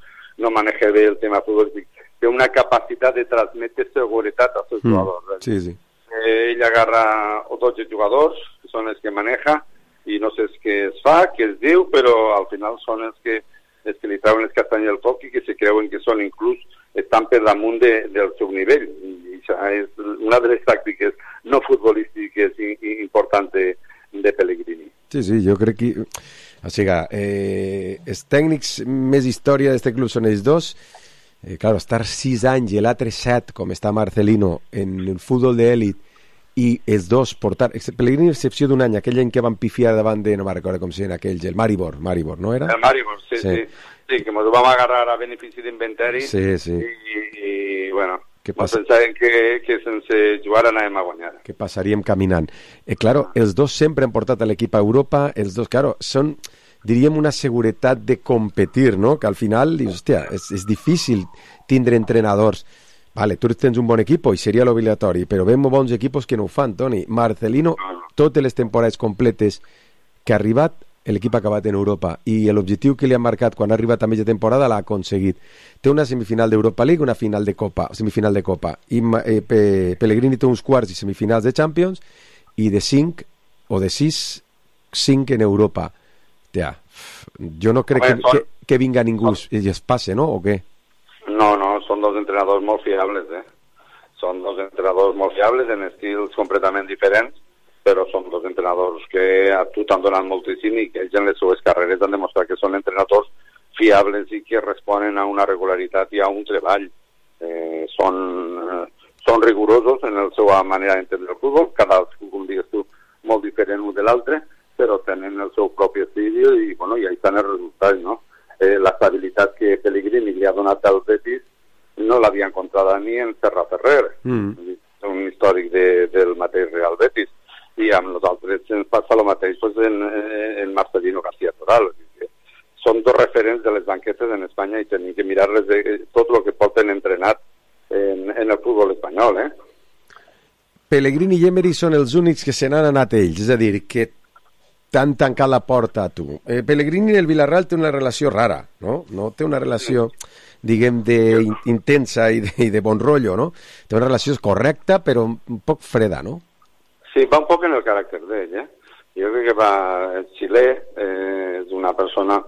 no maneja bé el tema futbolístic. Té una capacitat de transmetre seguretat als seus mm, jugadors. Sí, sí. Eh, ell agarra dotze jugadors, que són els que maneja, i no sé què es fa, què es diu, però al final són els que, els que li trauen les castanyes al foc i que se creuen que són inclús, estan per damunt de, del seu nivell. I això és una de les tàctiques no futbolístiques i, i importants de, de Pellegrini. Sí, sí, jo crec que... O sigui, eh, els tècnics més història d'aquest club són ells dos. Eh, claro, estar sis anys i l'altre set, com està Marcelino, en el futbol d'èlit, i els dos portar... Pellegrini, excepció d'un any, aquell any que van pifiar davant de... No me'n recordo com si era aquells, el Maribor, Maribor, no era? El Maribor, sí, sí. Sí, sí que ens vam agarrar a benefici d'inventari. Sí, sí. I, i bueno, que passa... pensàvem que, que sense jugar anàvem a guanyar. Que passaríem caminant. Eh, claro, els dos sempre han portat a l'equip a Europa, els dos, claro, són, diríem, una seguretat de competir, no? Que al final, dius, hòstia, és, és difícil tindre entrenadors. Vale, tu tens un bon equip i seria l'obligatori, però veiem bons equips que no ho fan, Toni. Marcelino, totes les temporades completes que ha arribat, l'equip ha acabat en Europa, i l'objectiu que li han marcat quan ha arribat a mitja temporada l'ha aconseguit. Té una semifinal d'Europa League, una final de Copa, semifinal de Copa, i eh, Pe Pellegrini té uns quarts i semifinals de Champions, i de cinc, o de sis, cinc en Europa. Tia, jo no crec que, que, que vinga ningú i es passe, no? O què? No, no, són dos entrenadors molt fiables, eh? Són dos entrenadors molt fiables en estils completament diferents, però són dos entrenadors que a tu t'han donat moltíssim i que ells en les seues carreres han demostrat que són entrenadors fiables i que responen a una regularitat i a un treball. Eh, són, eh, són rigorosos en la seva manera d'entendre el futbol, cadascú, com digues tu, molt diferent un de l'altre, però tenen el seu propi estil i, bueno, i ahí estan els resultats, no? Eh, l'estabilitat que Pellegrini li ha donat al Betis no l'havia encontrada ni en Serra Ferrer, mm. un històric de, del mateix Real Betis, i amb nosaltres ens passa el mateix pues, en, en Marcelino García Toral. Són dos referents de les banquetes en Espanya i tenim que mirar-les de tot el que porten entrenat en, en el futbol espanyol. Eh? Pellegrini i Emery són els únics que se n'han anat ells, és a dir, que t'han tancat la porta a tu. Eh, Pellegrini en el Villarreal té una relació rara, no? No té una relació, diguem, de in, intensa i de, i de bon rotllo, no? Té una relació correcta, però un poc freda, no? Sí, va un poc en el caràcter d'ell, eh? Jo crec que va... El xilè eh, és una persona,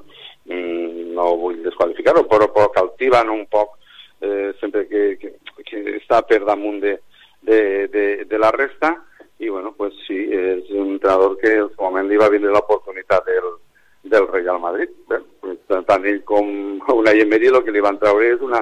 mmm, no vull desqualificar-ho, però poc altiva, no un poc, eh, sempre que, que, que està per damunt de, de, de, de la resta, i bueno, pues sí, és un entrenador que en su moment li va vindre l'oportunitat del, del Real Madrid. Bé, pues, tant ell com una Emery el que li van treure és una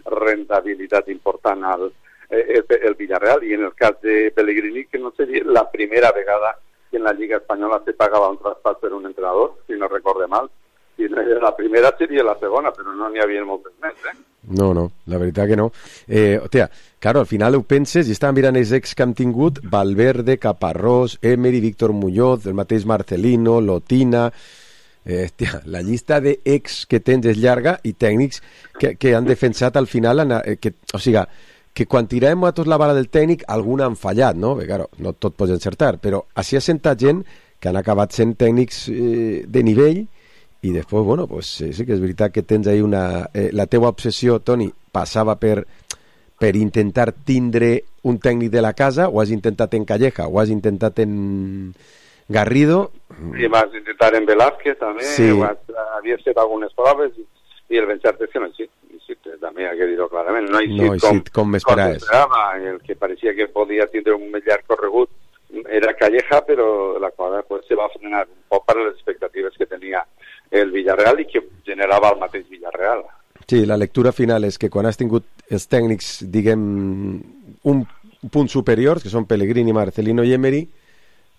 rentabilitat important al el, el Villarreal, i en el cas de Pellegrini, que no seria la primera vegada que en la Lliga Espanyola se pagava un traspàs per un entrenador, si no recorde mal. Si no era la primera, seria la segona, però no n'hi havia moltes més, eh? No, no, la veritat que no. Eh, hòstia, claro, al final ho penses, i estàvem mirant els ex que han tingut, Valverde, Caparrós, Emery, Víctor Muñoz, el mateix Marcelino, Lotina... Eh, hòstia, la llista d'ex que tens és llarga i tècnics que, que han defensat al final, eh, que, o sigui, que quan tirem a tots la bala del tècnic, alguna han fallat, no? Bé, claro, no tot pots encertar, però així ha sentat gent que han acabat sent tècnics eh, de nivell. I després, bueno, pues, sí, sí que és veritat que tens ahí una... Eh, la teua obsessió, Toni, passava per, per intentar tindre un tècnic de la casa, o has intentat en Calleja, o has intentat en Garrido... I vas intentar en Velázquez, també, sí. Vas, havies fet algunes proves, i el ben-cert és que no existe, existe, també hay que dir-ho clarament. No existe, no existe com, com m'esperaves. El que pareixia que podia tindre un llarg corregut era Calleja, però la cosa pues, se va frenar un poc per les expectatives que tenia el Villarreal i que generava el mateix Villarreal. Sí, la lectura final és que quan has tingut els tècnics, diguem, un punt superiors, que són Pellegrini, Marcelino i Emery,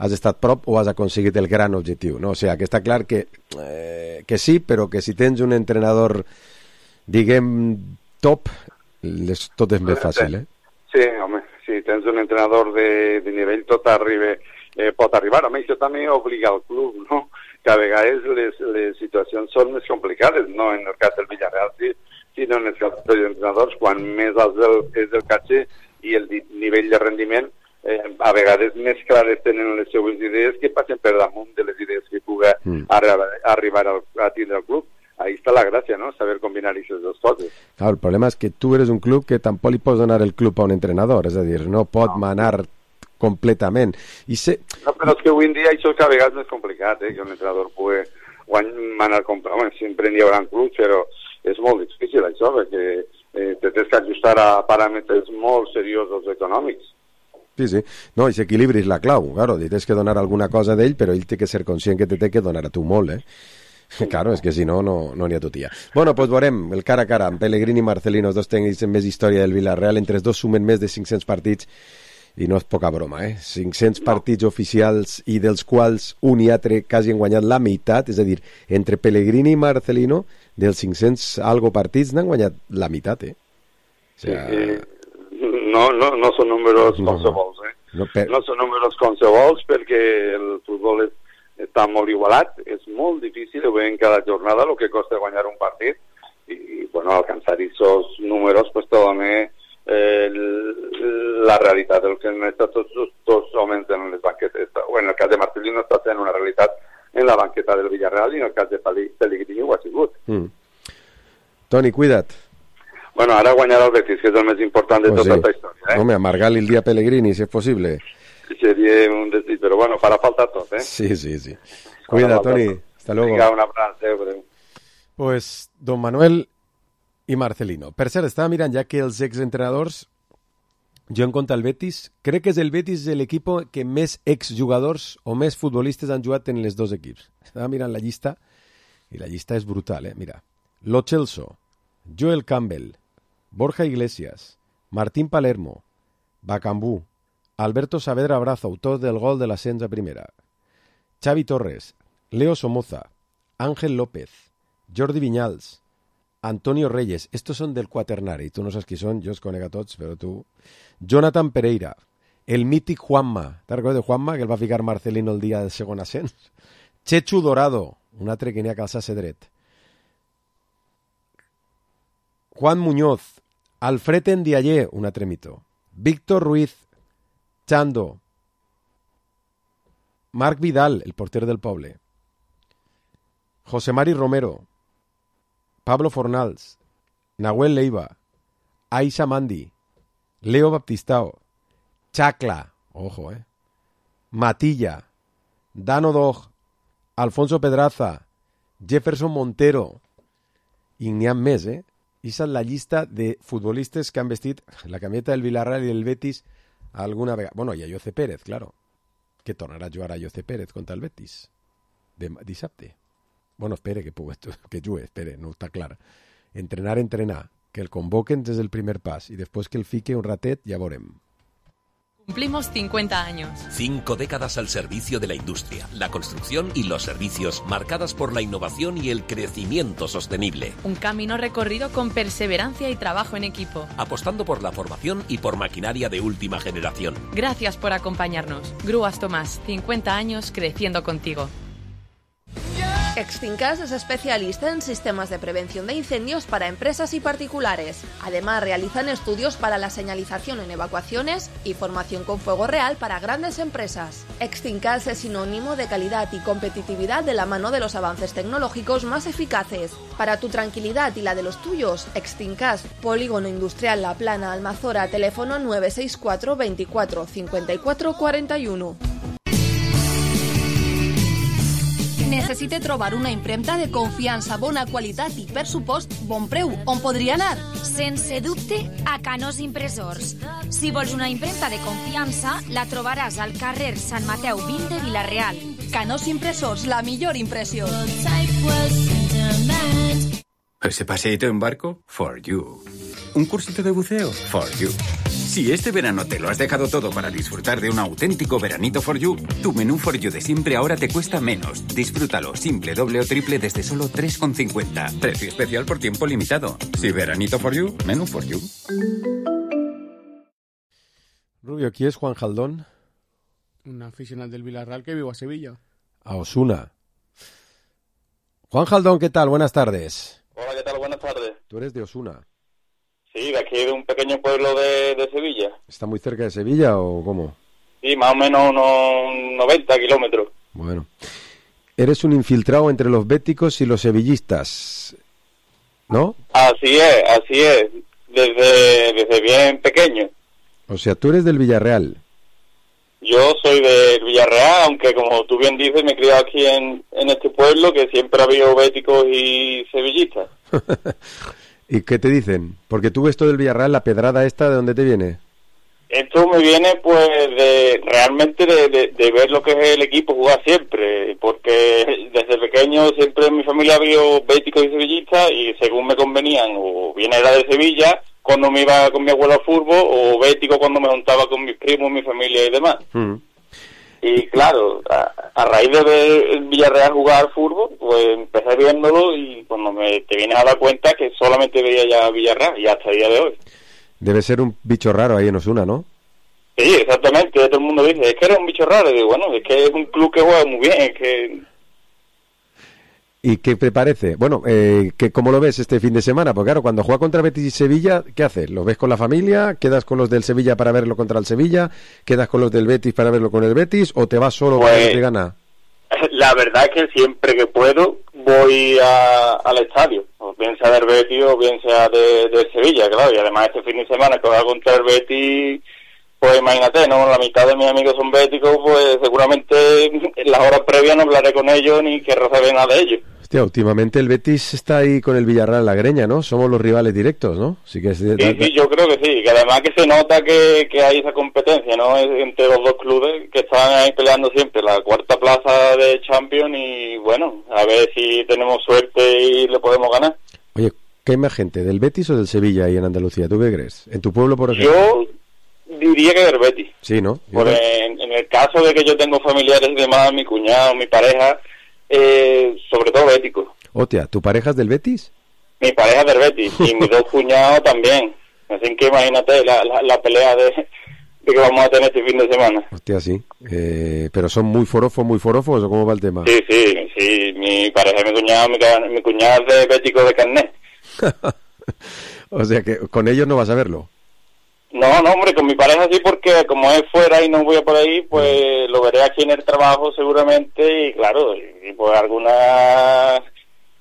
has estat prop o has aconseguit el gran objectiu, no? O sigui, que està clar que, eh, que sí, però que si tens un entrenador, diguem, top, les, tot és més fàcil, eh? Sí, home, si tens un entrenador de, de nivell tot arriba, eh, pot arribar. Home, això també obliga al club, no? Que a vegades les, les situacions són més complicades, no en el cas del Villarreal, sí, sinó en el cas dels entrenadors, quan més alt el, és el caché i el nivell de rendiment, eh, a vegades més clares tenen les seues idees que passen per damunt de les idees que puga mm. arribar, arribar al, a tindre el club. Ahí està la gràcia, no? Saber combinar aquestes dues coses. Claro, el problema és que tu eres un club que tampoc li pots donar el club a un entrenador, és a dir, no pot no. manar completament. I se... No, però és que avui en dia això és cada vegada més complicat, eh? Que un entrenador pugui manar completament. Sempre n'hi haurà clubs, però és molt difícil això, perquè eh, te tens que ajustar a paràmetres molt seriosos econòmics. Sí, sí. No, i l'equilibri és la clau. Claro, li tens que donar alguna cosa d'ell, però ell té que ser conscient que te té que donar a tu molt, eh? Claro, és que si no, no n'hi ha totia. Bueno, doncs veurem el cara a cara amb Pellegrini i Marcelino, els dos tècnics amb més història del Villarreal. Entre els dos sumen més de cinc-cents partits i no és poca broma, eh? cinc-cents no. partits oficials i dels quals un i altre quasi han guanyat la meitat, és a dir, entre Pellegrini i Marcelino, dels cinc-cents algo partits n'han guanyat la meitat, eh? O sea... sí, sí. No, no, no són números no, qualsevols, eh? No, per... no són números qualsevols perquè el futbol és, està molt igualat, és molt difícil, ho veiem cada jornada, el que costa guanyar un partit, i, bueno, alcançar aquests números, pues, també Eh, la realitat del que han estat tots els dos homes en les banquetes, o en el cas de Marcelino està sent una realitat en la banqueta del Villarreal i en el cas de Pellegrini ho ha sigut. mm. Toni, cuida't. Bueno, ara guanyarà el Betis, que és el més important de pues tota sí. aquesta història, eh? Home, amargar-li el dia a Pellegrini, si és possible. Seria un desig, però bueno, farà falta tot, eh? Sí, sí, sí. Cuida, Toni, hasta luego. Vinga, un abraç, adéu. Pues, don Manuel i Marcelino. Per cert, estava mirant ja que els exentrenadors, jo en compte el Betis, crec que és el Betis l'equip que més exjugadors o més futbolistes han jugat en les dos equips. Estava mirant la llista i la llista és brutal, eh? Mira, Lo Celso, Joel Campbell, Borja Iglesias, Martín Palermo, Bacambú, Alberto Saavedra Brazo, autor del gol de l'ascens a primera, Xavi Torres, Leo Somoza, Ángel López, Jordi Viñals, Antonio Reyes, estos son del quaternari, tu no saps qui són, jo els conec a tots, però tu... Jonathan Pereira, el mític Juanma, te'n recordes de Juanma, que el va ficar Marcelino el dia del segon ascens? Chechu Dorado, un altre que n'hi ha que alçar-se dret. Juan Muñoz, Alfred Ndiaye, un altre mito. Víctor Ruiz, Chando, Marc Vidal, el porter del poble. José Mari Romero, Pablo Fornals, Nahuel Leiva, Aisha Mandi, Leo Baptistao, Chacla, ojo, eh, Matilla, Dano Dog, Alfonso Pedraza, Jefferson Montero, i n'hi ha més, eh? Esa és la llista de futbolistes que han vestit la camiseta del Villarreal i del Betis alguna vegada. Bueno, i a Jose Pérez, claro, que tornarà a jugar a Jose Pérez contra el Betis de dissabte. Bueno, espere que pugui, que jugui, espere, no està clar. Entrenar, entrenar, que el convoquen des del primer pas i després que el fique un ratet ja veurem. Cumplimos cincuenta años. Cinco décadas al servicio de la industria, la construcción y los servicios, marcadas por la innovación y el crecimiento sostenible. Un camino recorrido con perseverancia y trabajo en equipo. Apostando por la formación y por maquinaria de última generación. Gracias por acompañarnos. Grúas Tomás, cincuenta años creciendo contigo. Extincas es especialista en sistemas de prevención de incendios para empresas y particulares. Además, realizan estudios para la señalización en evacuaciones y formación con fuego real para grandes empresas. Extincas es sinónimo de calidad y competitividad de la mano de los avances tecnológicos más eficaces. Para tu tranquilidad y la de los tuyos, Extincas, Polígono Industrial La Plana, Almazora, teléfono nueve seis cuatro veinticuatro cincuenta y cuatro cuarenta y uno. Necessite trobar una impremta de confiança, bona qualitat i, per supost, bon preu. On podria anar? Sense dubte, a Canós Impressors. Si vols una impremta de confiança, la trobaràs al carrer Sant Mateu vint de Vila-real. Canós Impressors, la millor impressió. ¿Ese paseíto en barco? For you. ¿Un cursito de buceo? For you. Si este verano te lo has dejado todo para disfrutar de un auténtico veranito For You, tu menú For You de siempre ahora te cuesta menos. Disfrútalo simple, doble o triple desde solo tres con cincuenta. Precio especial por tiempo limitado. Si veranito For You, menú For You. Rubio, ¿quién es Juan Jaldón? Un aficionado del Villarreal que vive a Sevilla. A Osuna. Juan Jaldón, ¿qué tal? Buenas tardes. Hola, ¿qué tal? Buenas tardes. Tú eres de Osuna. Sí, de aquí de un pequeño pueblo de, de Sevilla. ¿Está muy cerca de Sevilla o cómo? Sí, más o menos unos noventa kilómetros. Bueno. Eres un infiltrado entre los béticos y los sevillistas, ¿no? Así es, así es. Desde, desde bien pequeño. O sea, tú eres del Villarreal. Yo soy del Villarreal, aunque como tú bien dices, me he criado aquí en, en este pueblo, que siempre ha habido béticos y sevillistas. ¿Y qué te dicen? Porque tú ves todo del Villarreal, la pedrada esta, ¿de dónde te viene? Esto me viene, pues, de realmente de, de, de ver lo que es el equipo jugar siempre, porque desde pequeño siempre en mi familia ha habido béticos y sevillistas, y según me convenían, o bien era de Sevilla, cuando me iba con mi abuelo al fútbol, o bético cuando me juntaba con mis primos, mi familia y demás. Mm. Y claro, a, a raíz de ver el Villarreal jugar al fútbol, pues empecé viéndolo y cuando me te vienes a dar cuenta que solamente veía ya Villarreal y hasta el día de hoy. Debe ser un bicho raro ahí en Osuna, ¿no? Sí, exactamente, todo el mundo dice, es que eres un bicho raro, y digo, bueno, es que es un club que juega muy bien, es que... ¿Y qué te parece? Bueno, eh, que ¿cómo lo ves este fin de semana? Porque claro, cuando juega contra Betis y Sevilla, ¿qué haces? ¿Lo ves con la familia? ¿Quedas con los del Sevilla para verlo contra el Sevilla? ¿Quedas con los del Betis para verlo con el Betis? ¿O te vas solo Pues, para que te gana? La verdad es que siempre que puedo voy a, al estadio, o bien sea del Betis o bien sea de, de Sevilla, claro, y además este fin de semana que va contra el Betis, pues imagínate, ¿no? La mitad de mis amigos son béticos, pues seguramente en las horas previas no hablaré con ellos ni querré saber nada de ellos. Hostia, últimamente el Betis está ahí con el Villarreal en la greña, ¿no? Somos los rivales directos, ¿no? Sí, que es de... Sí, sí, yo creo que sí, que además que se nota que, que hay esa competencia, ¿no? Entre los dos clubes que están ahí peleando siempre la cuarta plaza de Champions y bueno, a ver si tenemos suerte y le podemos ganar. Oye, ¿qué hay más gente, del Betis o del Sevilla ahí en Andalucía? ¿Tú qué crees? ¿En tu pueblo, por ejemplo? Yo diría que del Betis. Sí, ¿no? Por en, en el caso de que yo tengo familiares y demás, mi cuñado, mi pareja, eh, sobre todo béticos. Hostia, ¿tu pareja es del Betis? Mi pareja es del Betis y mis dos cuñados también. Así que imagínate la, la, la pelea de, de que vamos a tener este fin de semana. Hostia, sí. Eh, ¿Pero son muy forofos, muy forofos o cómo va el tema? Sí, sí, sí. Mi pareja y mi cuñado, mi, mi cuñado es de bético de carnet. O sea que con ellos no vas a verlo. No, no, hombre, con mi pareja sí, porque como es fuera y no voy a por ahí, pues lo veré aquí en el trabajo seguramente y claro, y pues alguna,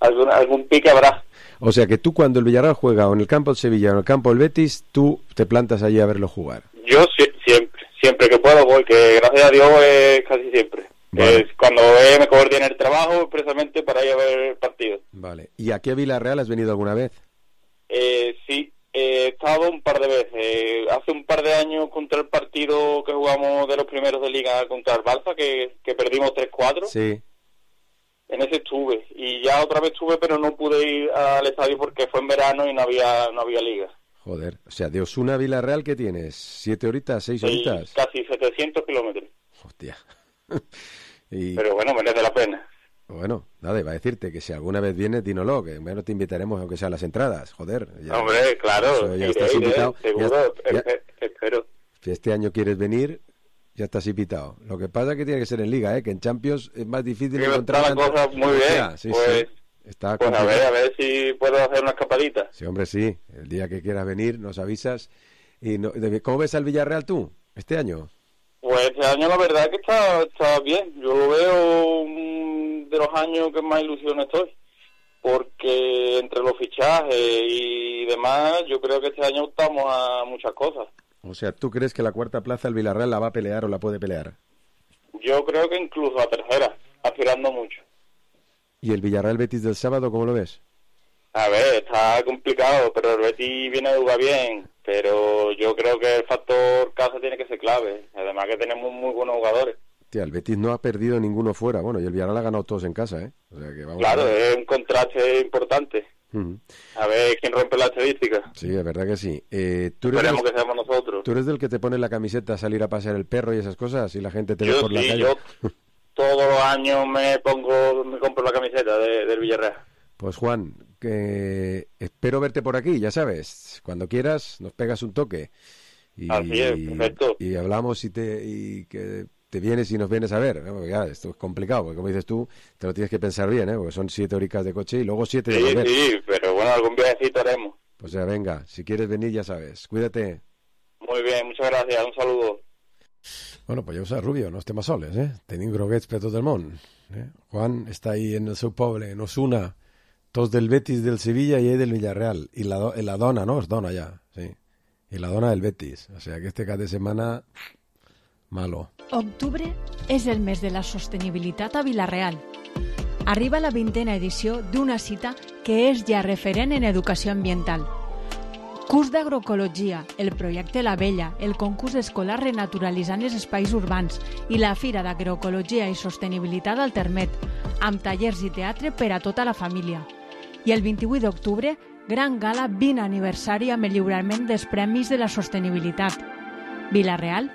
alguna algún pique habrá. O sea que tú cuando el Villarreal juega o en el campo del Sevilla o en el campo del Betis, tú te plantas allí a verlo jugar. Yo si, siempre, siempre que puedo voy, que gracias a Dios es casi siempre. Vale. Es cuando eh, me coordiné el trabajo precisamente para ir a ver el partido. Vale. ¿Y aquí a Villarreal has venido alguna vez? Eh, sí. He estado un par de veces. Eh, hace un par de años contra el partido que jugamos de los primeros de Liga contra el Barça, que, que perdimos tres cuatro. Sí. En ese estuve. Y ya otra vez estuve, pero no pude ir al estadio porque fue en verano y no había no había Liga. Joder. O sea, de Osuna a Villarreal, ¿qué tienes? ¿Siete horitas? ¿Seis horitas? Sí, casi setecientos kilómetros. Hostia. y... Pero bueno, merece la pena. Bueno, nada, iba a decirte que si alguna vez vienes, dínoslo, que bueno, te invitaremos aunque sea a las entradas, joder. Ya, Hombre, claro, ya iré, estás iré, invitado. seguro, ya, ya, espero. Si este año quieres venir, ya estás invitado. Lo que pasa es que tiene que ser en Liga, ¿eh? Que en Champions es más difícil sí, encontrar... Está la cosa muy bien, sea, sí, pues, sí. Está pues a ver, a ver si puedo hacer una escapadita. Sí, hombre, sí. El día que quieras venir, nos avisas. y no, ¿Cómo ves al Villarreal tú, este año? Pues este año la verdad es que está, está bien. Yo lo veo um, de los años que más ilusión estoy. Porque entre los fichajes y demás, yo creo que este año optamos a muchas cosas. O sea, ¿tú crees que la cuarta plaza el Villarreal la va a pelear o la puede pelear? Yo creo que incluso a tercera, aspirando mucho. ¿Y el Villarreal Betis del sábado, cómo lo ves? A ver, está complicado, pero el Betis viene a jugar bien. Pero yo creo que el factor casa tiene que ser clave. Además que tenemos muy buenos jugadores. Tía, el Betis no ha perdido ninguno fuera. Bueno, y el Villarreal ha ganado todos en casa, ¿eh? O sea que vamos claro, a ver. Es un contraste importante. Uh-huh. A ver quién rompe la estadística. Sí, es verdad que sí. Eh, ¿tú eres Esperemos del, que seamos nosotros. ¿Tú eres del que te pone la camiseta a salir a pasear el perro y esas cosas? Y la gente te yo ve por sí, la calle. Yo todos los años me pongo, me compro la camiseta de, del Villarreal. Pues Juan, que espero verte por aquí, ya sabes. Cuando quieras, nos pegas un toque. Y, Así es, perfecto. Y hablamos y, te, y que te vienes y nos vienes a ver. ¿No? Ya, esto es complicado, porque como dices tú, te lo tienes que pensar bien, ¿eh? Porque son siete horitas de coche y luego siete de Sí, volver. sí, pero bueno, algún viajecito haremos. Pues ya, venga, si quieres venir, ya sabes. Cuídate. Muy bien, muchas gracias, un saludo. Bueno, pues ja ho saps, Rubio, no estem a soles, eh? Tenim groguets per tot el món. Eh? Juan està ahí en el seu poble, en Osuna, tots del Betis, del Sevilla i ell del Villarreal. I la, do la dona, no? Es dona ja, sí. I la dona del Betis. O sea que este cap de setmana, malo. Octubre és el mes de la sostenibilitat a Vila-real. Arriba la vintena edició d'una cita que és ja referent en educació ambiental. Curs d'agroecologia, el projecte La Vella, el concurs escolar renaturalitzant els espais urbans i la Fira d'Agroecologia i Sostenibilitat al Termet, amb tallers i teatre per a tota la família. I el vint-i-vuit d'octubre, Gran Gala vint aniversari amb el lliurament dels Premis de la Sostenibilitat. Vila-real,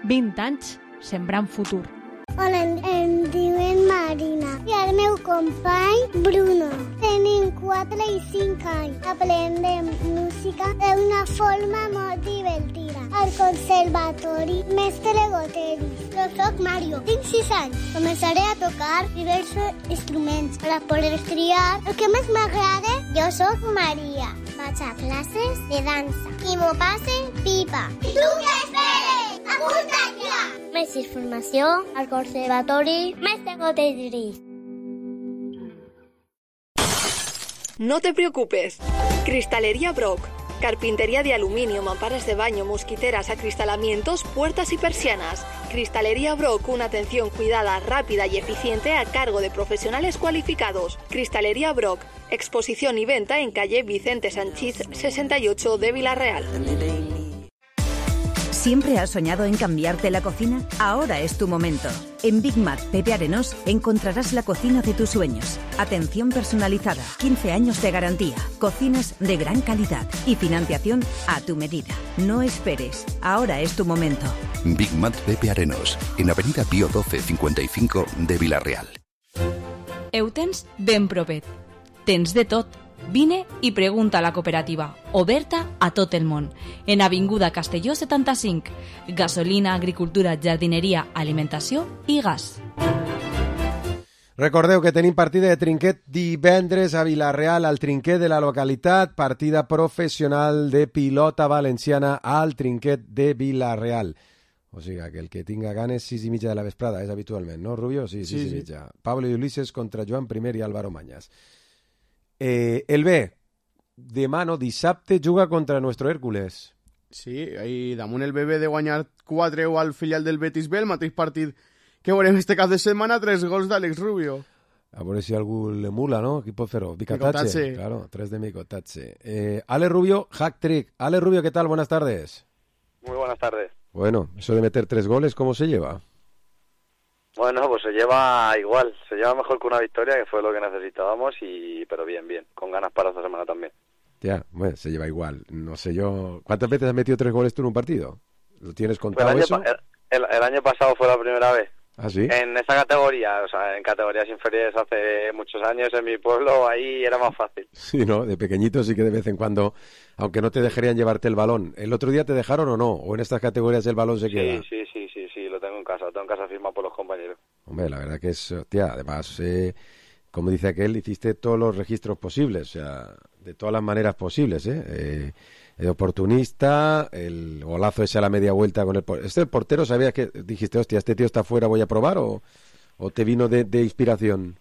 vint anys sembrant futur. Hola, em, em diuen Marina i el meu company Bruno. Tenim quatre i cinc anys. Aprendem música d'una forma molt divertida. Al conservatori Mestre Goteris. Jo soc Mario, tinc sis anys. Començaré a tocar diversos instruments per a poder triar el que més m'agrada. Jo soc Maria. Vaig a classes de dansa i m'ho passe pipa. I tu què esperes? Apunta't ja! Més informació al Conservatori Mestre Goteris. No te preocupes. Cristalería Brock. Carpintería de aluminio, mamparas de baño, mosquiteras, acristalamientos, puertas y persianas. Cristalería Brock, una atención cuidada, rápida y eficiente a cargo de profesionales cualificados. Cristalería Brock, exposición y venta en calle Vicente Sanchís sesenta y ocho de Vila-real. ¿Siempre has soñado en cambiarte la cocina? Ahora es tu momento. En Big Mat Pepe Arenós encontrarás la cocina de tus sueños. Atención personalizada, quince años de garantía, cocinas de gran calidad y financiación a tu medida. No esperes, ahora es tu momento. Big Mat Pepe Arenós, en Avenida Pío doce cincuenta y cinco de Vila-real. Heu tens ben propet. Tens de tot. Vine i pregunta a la cooperativa, oberta a tot el món. En Avinguda Castelló setanta-cinc. Gasolina, agricultura, jardineria, alimentació i gas. Recordeu que tenim partida de trinquet divendres a Vila-real, al trinquet de la localitat, partida professional de pilota valenciana al trinquet de Vila-real. O sigui, que el que tinga ganes, sis i mitja de la vesprada, és habitualment, no, Rubio? Sí, sis sí, i mitja. Sí. Pablo i Ulises contra Joan Primer i Álvaro Mañas. Eh, el B, demà, no, dissabte, juga contra nuestro Hércules. Sí, i damunt el B B de guanyar quatre al filial del Betis B, el mateix partit que veurem este cap de setmana, tres gols d'Àlex Rubio. A veure si algú l'emula, no? Qui pot fer-ho? Bicatache. Claro, tres de Micotache. Eh, Ale Rubio, hack trick. Ale Rubio, ¿qué tal? Buenas tardes. Muy buenas tardes. Bueno, eso de meter tres goles, ¿cómo se lleva? Bueno, pues se lleva igual, se lleva mejor que una victoria, que fue lo que necesitábamos, y pero bien, bien, con ganas para esta semana también. Ya, bueno, se lleva igual, no sé yo... ¿Cuántas veces has metido tres goles tú en un partido? ¿Lo tienes contado el año, eso? El, el, el año pasado fue la primera vez. ¿Ah, sí? En esa categoría, o sea, en categorías inferiores hace muchos años, en mi pueblo, ahí era más fácil. Sí, ¿no? De pequeñito sí que de vez en cuando, aunque no te dejarían llevarte el balón. ¿El otro día te dejaron o no? ¿O en estas categorías el balón se sí, queda? Sí, sí, sí, sí, lo tengo en casa, lo tengo en casa firmado por los compañeros. Hombre, la verdad que es, tía, además, eh, como dice aquel, hiciste todos los registros posibles, o sea, de todas las maneras posibles, ¿eh? eh el oportunista, el golazo ese a la media vuelta con el portero. ¿Este el portero sabías que dijiste, hostia, este tío está fuera, voy a probar, o, o te vino de, de inspiración?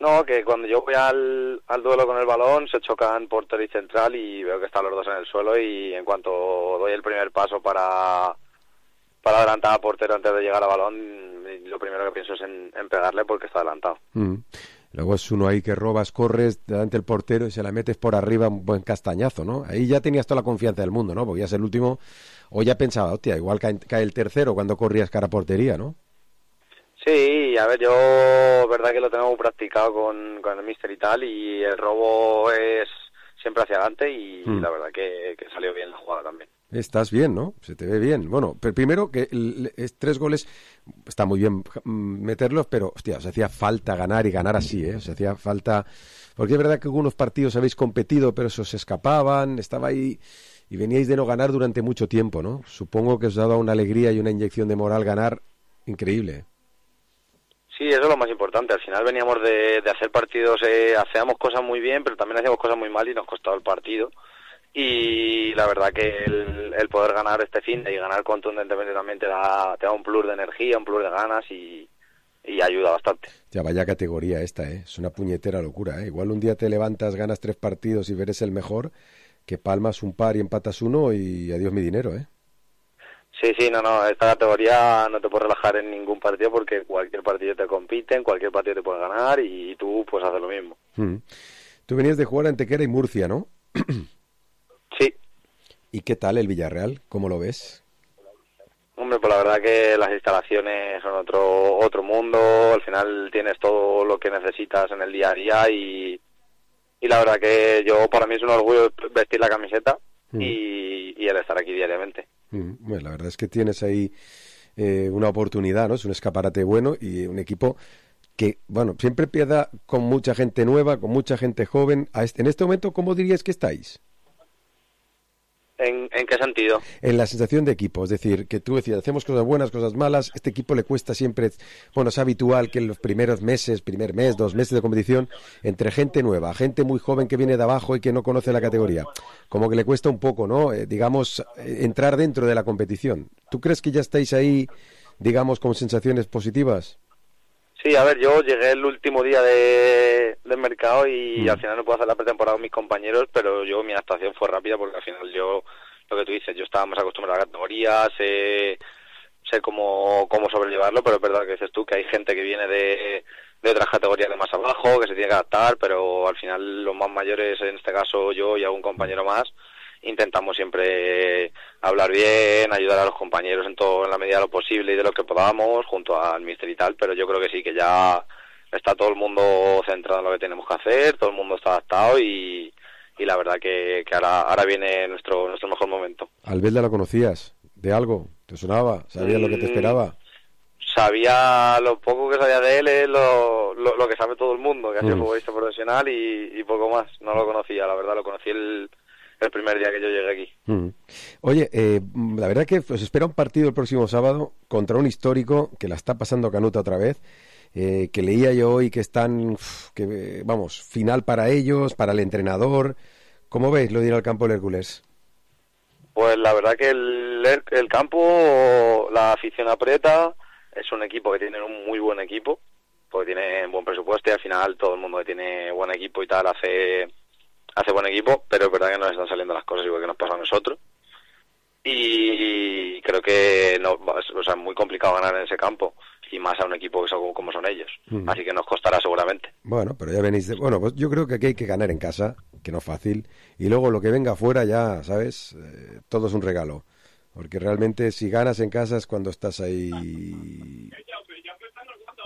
No, que cuando yo voy al, al duelo con el balón se chocan portero y central y veo que están los dos en el suelo, y en cuanto doy el primer paso para, para adelantar al portero antes de llegar al balón, lo primero que pienso es en, en pegarle porque está adelantado. Mm. Luego es uno ahí que robas, corres delante del portero y se la metes por arriba, un buen castañazo, ¿no? Ahí ya tenías toda la confianza del mundo, ¿no? Porque ya es el último, o ya pensaba, hostia, igual cae, cae el tercero cuando corrías cara a portería, ¿no? Sí, a ver, yo, verdad que lo tengo practicado con, con el míster y tal, y el robo es siempre hacia adelante, y mm. la verdad que, que salió bien la jugada también. Estás bien, ¿no? Se te ve bien. Bueno, pero primero que el, es tres goles, está muy bien meterlos, pero, hostia, os hacía falta ganar y ganar así, ¿eh? Os hacía falta... Porque es verdad que algunos partidos habéis competido, pero se os escapaban, estaba ahí y veníais de no ganar durante mucho tiempo, ¿no? Supongo que os daba una alegría y una inyección de moral ganar increíble. Sí, eso es lo más importante. Al final veníamos de, de hacer partidos, eh, hacíamos cosas muy bien, pero también hacíamos cosas muy mal y nos costaba el partido. Y la verdad que el, el poder ganar este fin y ganar contundentemente también te da, te da un plus de energía, un plus de ganas, y, y ayuda bastante. Ya vaya categoría esta, ¿eh? Es una puñetera locura, ¿eh? Igual un día te levantas, ganas tres partidos y eres el mejor, que palmas un par y empatas uno y adiós mi dinero, ¿eh? Sí, sí, no, no, esta categoría no te puedes relajar en ningún partido porque cualquier partido te compiten, cualquier partido te puedes ganar y tú pues haces lo mismo. Mm. Tú venías de jugar a Antequera y Murcia, ¿no? Sí. ¿Y qué tal el Villarreal? ¿Cómo lo ves? Hombre, pues la verdad que las instalaciones son otro otro mundo. Al final tienes todo lo que necesitas en el día a día y, y y la verdad que yo, para mí es un orgullo vestir la camiseta Mm. y, y el estar aquí diariamente. Mm, Bueno, la verdad es que tienes ahí eh, una oportunidad, ¿no? Es un escaparate bueno y un equipo que, bueno, siempre empieza con mucha gente nueva, con mucha gente joven. A este- en este momento, ¿cómo dirías que estáis? ¿En, en qué sentido? En la sensación de equipo, es decir, que tú decías, hacemos cosas buenas, cosas malas, este equipo le cuesta siempre, bueno, es habitual que en los primeros meses, primer mes, dos meses de competición, entre gente nueva, gente muy joven que viene de abajo y que no conoce la categoría, como que le cuesta un poco, ¿no? Eh, digamos, eh, entrar dentro de la competición. ¿Tú crees que ya estáis ahí, digamos, con sensaciones positivas? Sí, a ver, yo llegué el último día de, del mercado y Mm. al final no puedo hacer la pretemporada con mis compañeros, pero yo mi adaptación fue rápida porque al final yo, lo que tú dices, yo estaba más acostumbrado a la categoría, sé, sé cómo, cómo sobrellevarlo, pero es verdad que dices tú que hay gente que viene de, de otras categorías de más abajo, que se tiene que adaptar, pero al final los más mayores, en este caso yo y algún compañero más, intentamos siempre hablar bien, ayudar a los compañeros en todo, en la medida de lo posible y de lo que podamos, junto al míster y tal, pero yo creo que sí, que ya está todo el mundo centrado en lo que tenemos que hacer, todo el mundo está adaptado y, y la verdad que, que ahora, ahora viene nuestro, nuestro mejor momento. ¿Albelda lo conocías? ¿De algo? ¿Te sonaba? ¿Sabías lo que te esperaba? Sabía lo poco que sabía de él, es lo, lo, lo que sabe todo el mundo, que ha sido Mm. futbolista profesional y, y poco más, no lo conocía, la verdad, lo conocí el, el primer día que yo llegué aquí. Mm. Oye, eh, la verdad que os espera un partido el próximo sábado contra un histórico que la está pasando canuta otra vez, eh, que leía yo hoy que están, uf, que eh, vamos, final para ellos, para el entrenador. ¿Cómo veis lo de ir al campo del Hércules? Pues la verdad que el, el campo, la afición aprieta, es un equipo que tiene un muy buen equipo, porque tiene buen presupuesto y al final todo el mundo que tiene buen equipo y tal hace hace buen equipo, pero es verdad que nos están saliendo las cosas igual que nos pasa a nosotros. Y creo que no, o sea, es muy complicado ganar en ese campo, y más a un equipo que son como son ellos. Mm. Así que nos costará seguramente. Bueno, pero ya venís de... Bueno, pues yo creo que aquí hay que ganar en casa, que no es fácil, y luego lo que venga afuera ya, ¿sabes? Eh, todo es un regalo, porque realmente si ganas en casa es cuando estás ahí,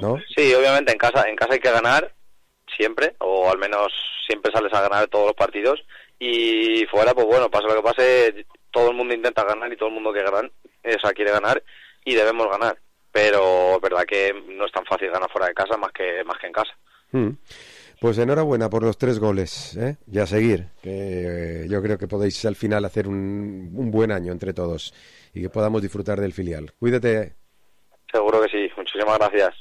¿no? Sí, obviamente en casa, en casa hay que ganar siempre, o al menos siempre sales a ganar todos los partidos, y fuera, pues bueno, pase lo que pase, todo el mundo intenta ganar y todo el mundo que ganan, o sea, quiere ganar y debemos ganar, pero es verdad que no es tan fácil ganar fuera de casa más que más que en casa. Mm. Pues enhorabuena por los tres goles, ¿eh? Y a seguir, que eh, yo creo que podéis al final hacer un, un buen año entre todos y que podamos disfrutar del filial. Cuídate. Seguro que sí, muchísimas gracias.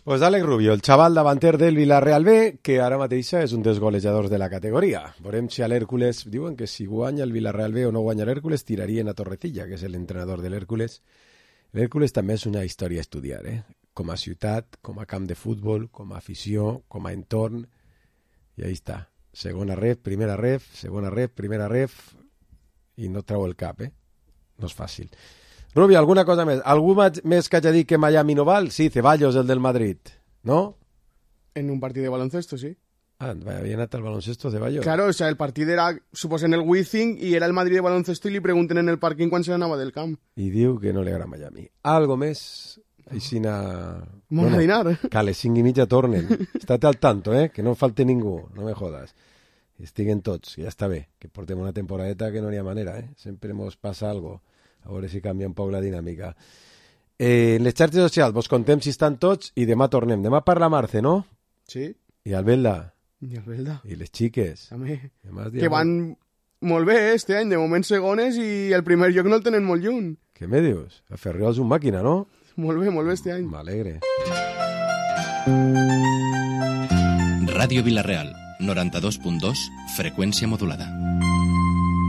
Pues Àlex Rubio, el xaval davanter del Villarreal B, que ara mateixa és un dels golejadors de la categoria. Veurem si a l'Hèrcules, diuen que si guanya el Villarreal B o no guanya l'Hèrcules, tirarien a Torrecilla, que és l'entrenador de l'Hèrcules. L'Hèrcules també és una història a estudiar, eh? Com a ciutat, com a camp de futbol, com a afició, com a entorn. I ahí està. Segona ref, primera ref, segona ref, primera ref, i no treu el cap, eh? No és fàcil. Rubio, alguna cosa més? Algú més que hagi dit que Miami no val? Sí, Ceballos, el del Madrid, ¿no? En un partido de baloncesto, sí. Ah, había anat al baloncesto Ceballos. Claro, o sea, el partido era, suposo, en el Wizzing y era el Madrid de baloncesto y le pregunten en el parking quan se anava del camp. I diu que no li agrada Miami. Algo més? Aixina... Molt a dinar. Que a les cinc i mitja tornen. Estate al tanto, eh? Que no falte ningú, no me jodas. Estiguen tots, que ja està bé. Que portem una temporadeta que no n'hi ha manera, eh? Sempre mos passa algo. A veure si canvia un poc la dinàmica. Eh, en les xarxes socials vos contem si estan tots i demà tornem. Demà parla Marce, no? Sí. I Albelda. I Albelda. I les xiques. També. Demà Que van molt bé, eh, este any. De moment segones i el primer lloc no el tenen molt lluny. Què me dius? A Ferriol és un màquina, no? Molt bé, molt bé este any. M'alegre. Ràdio Vilareal, noranta-dos punt dos, freqüència modulada.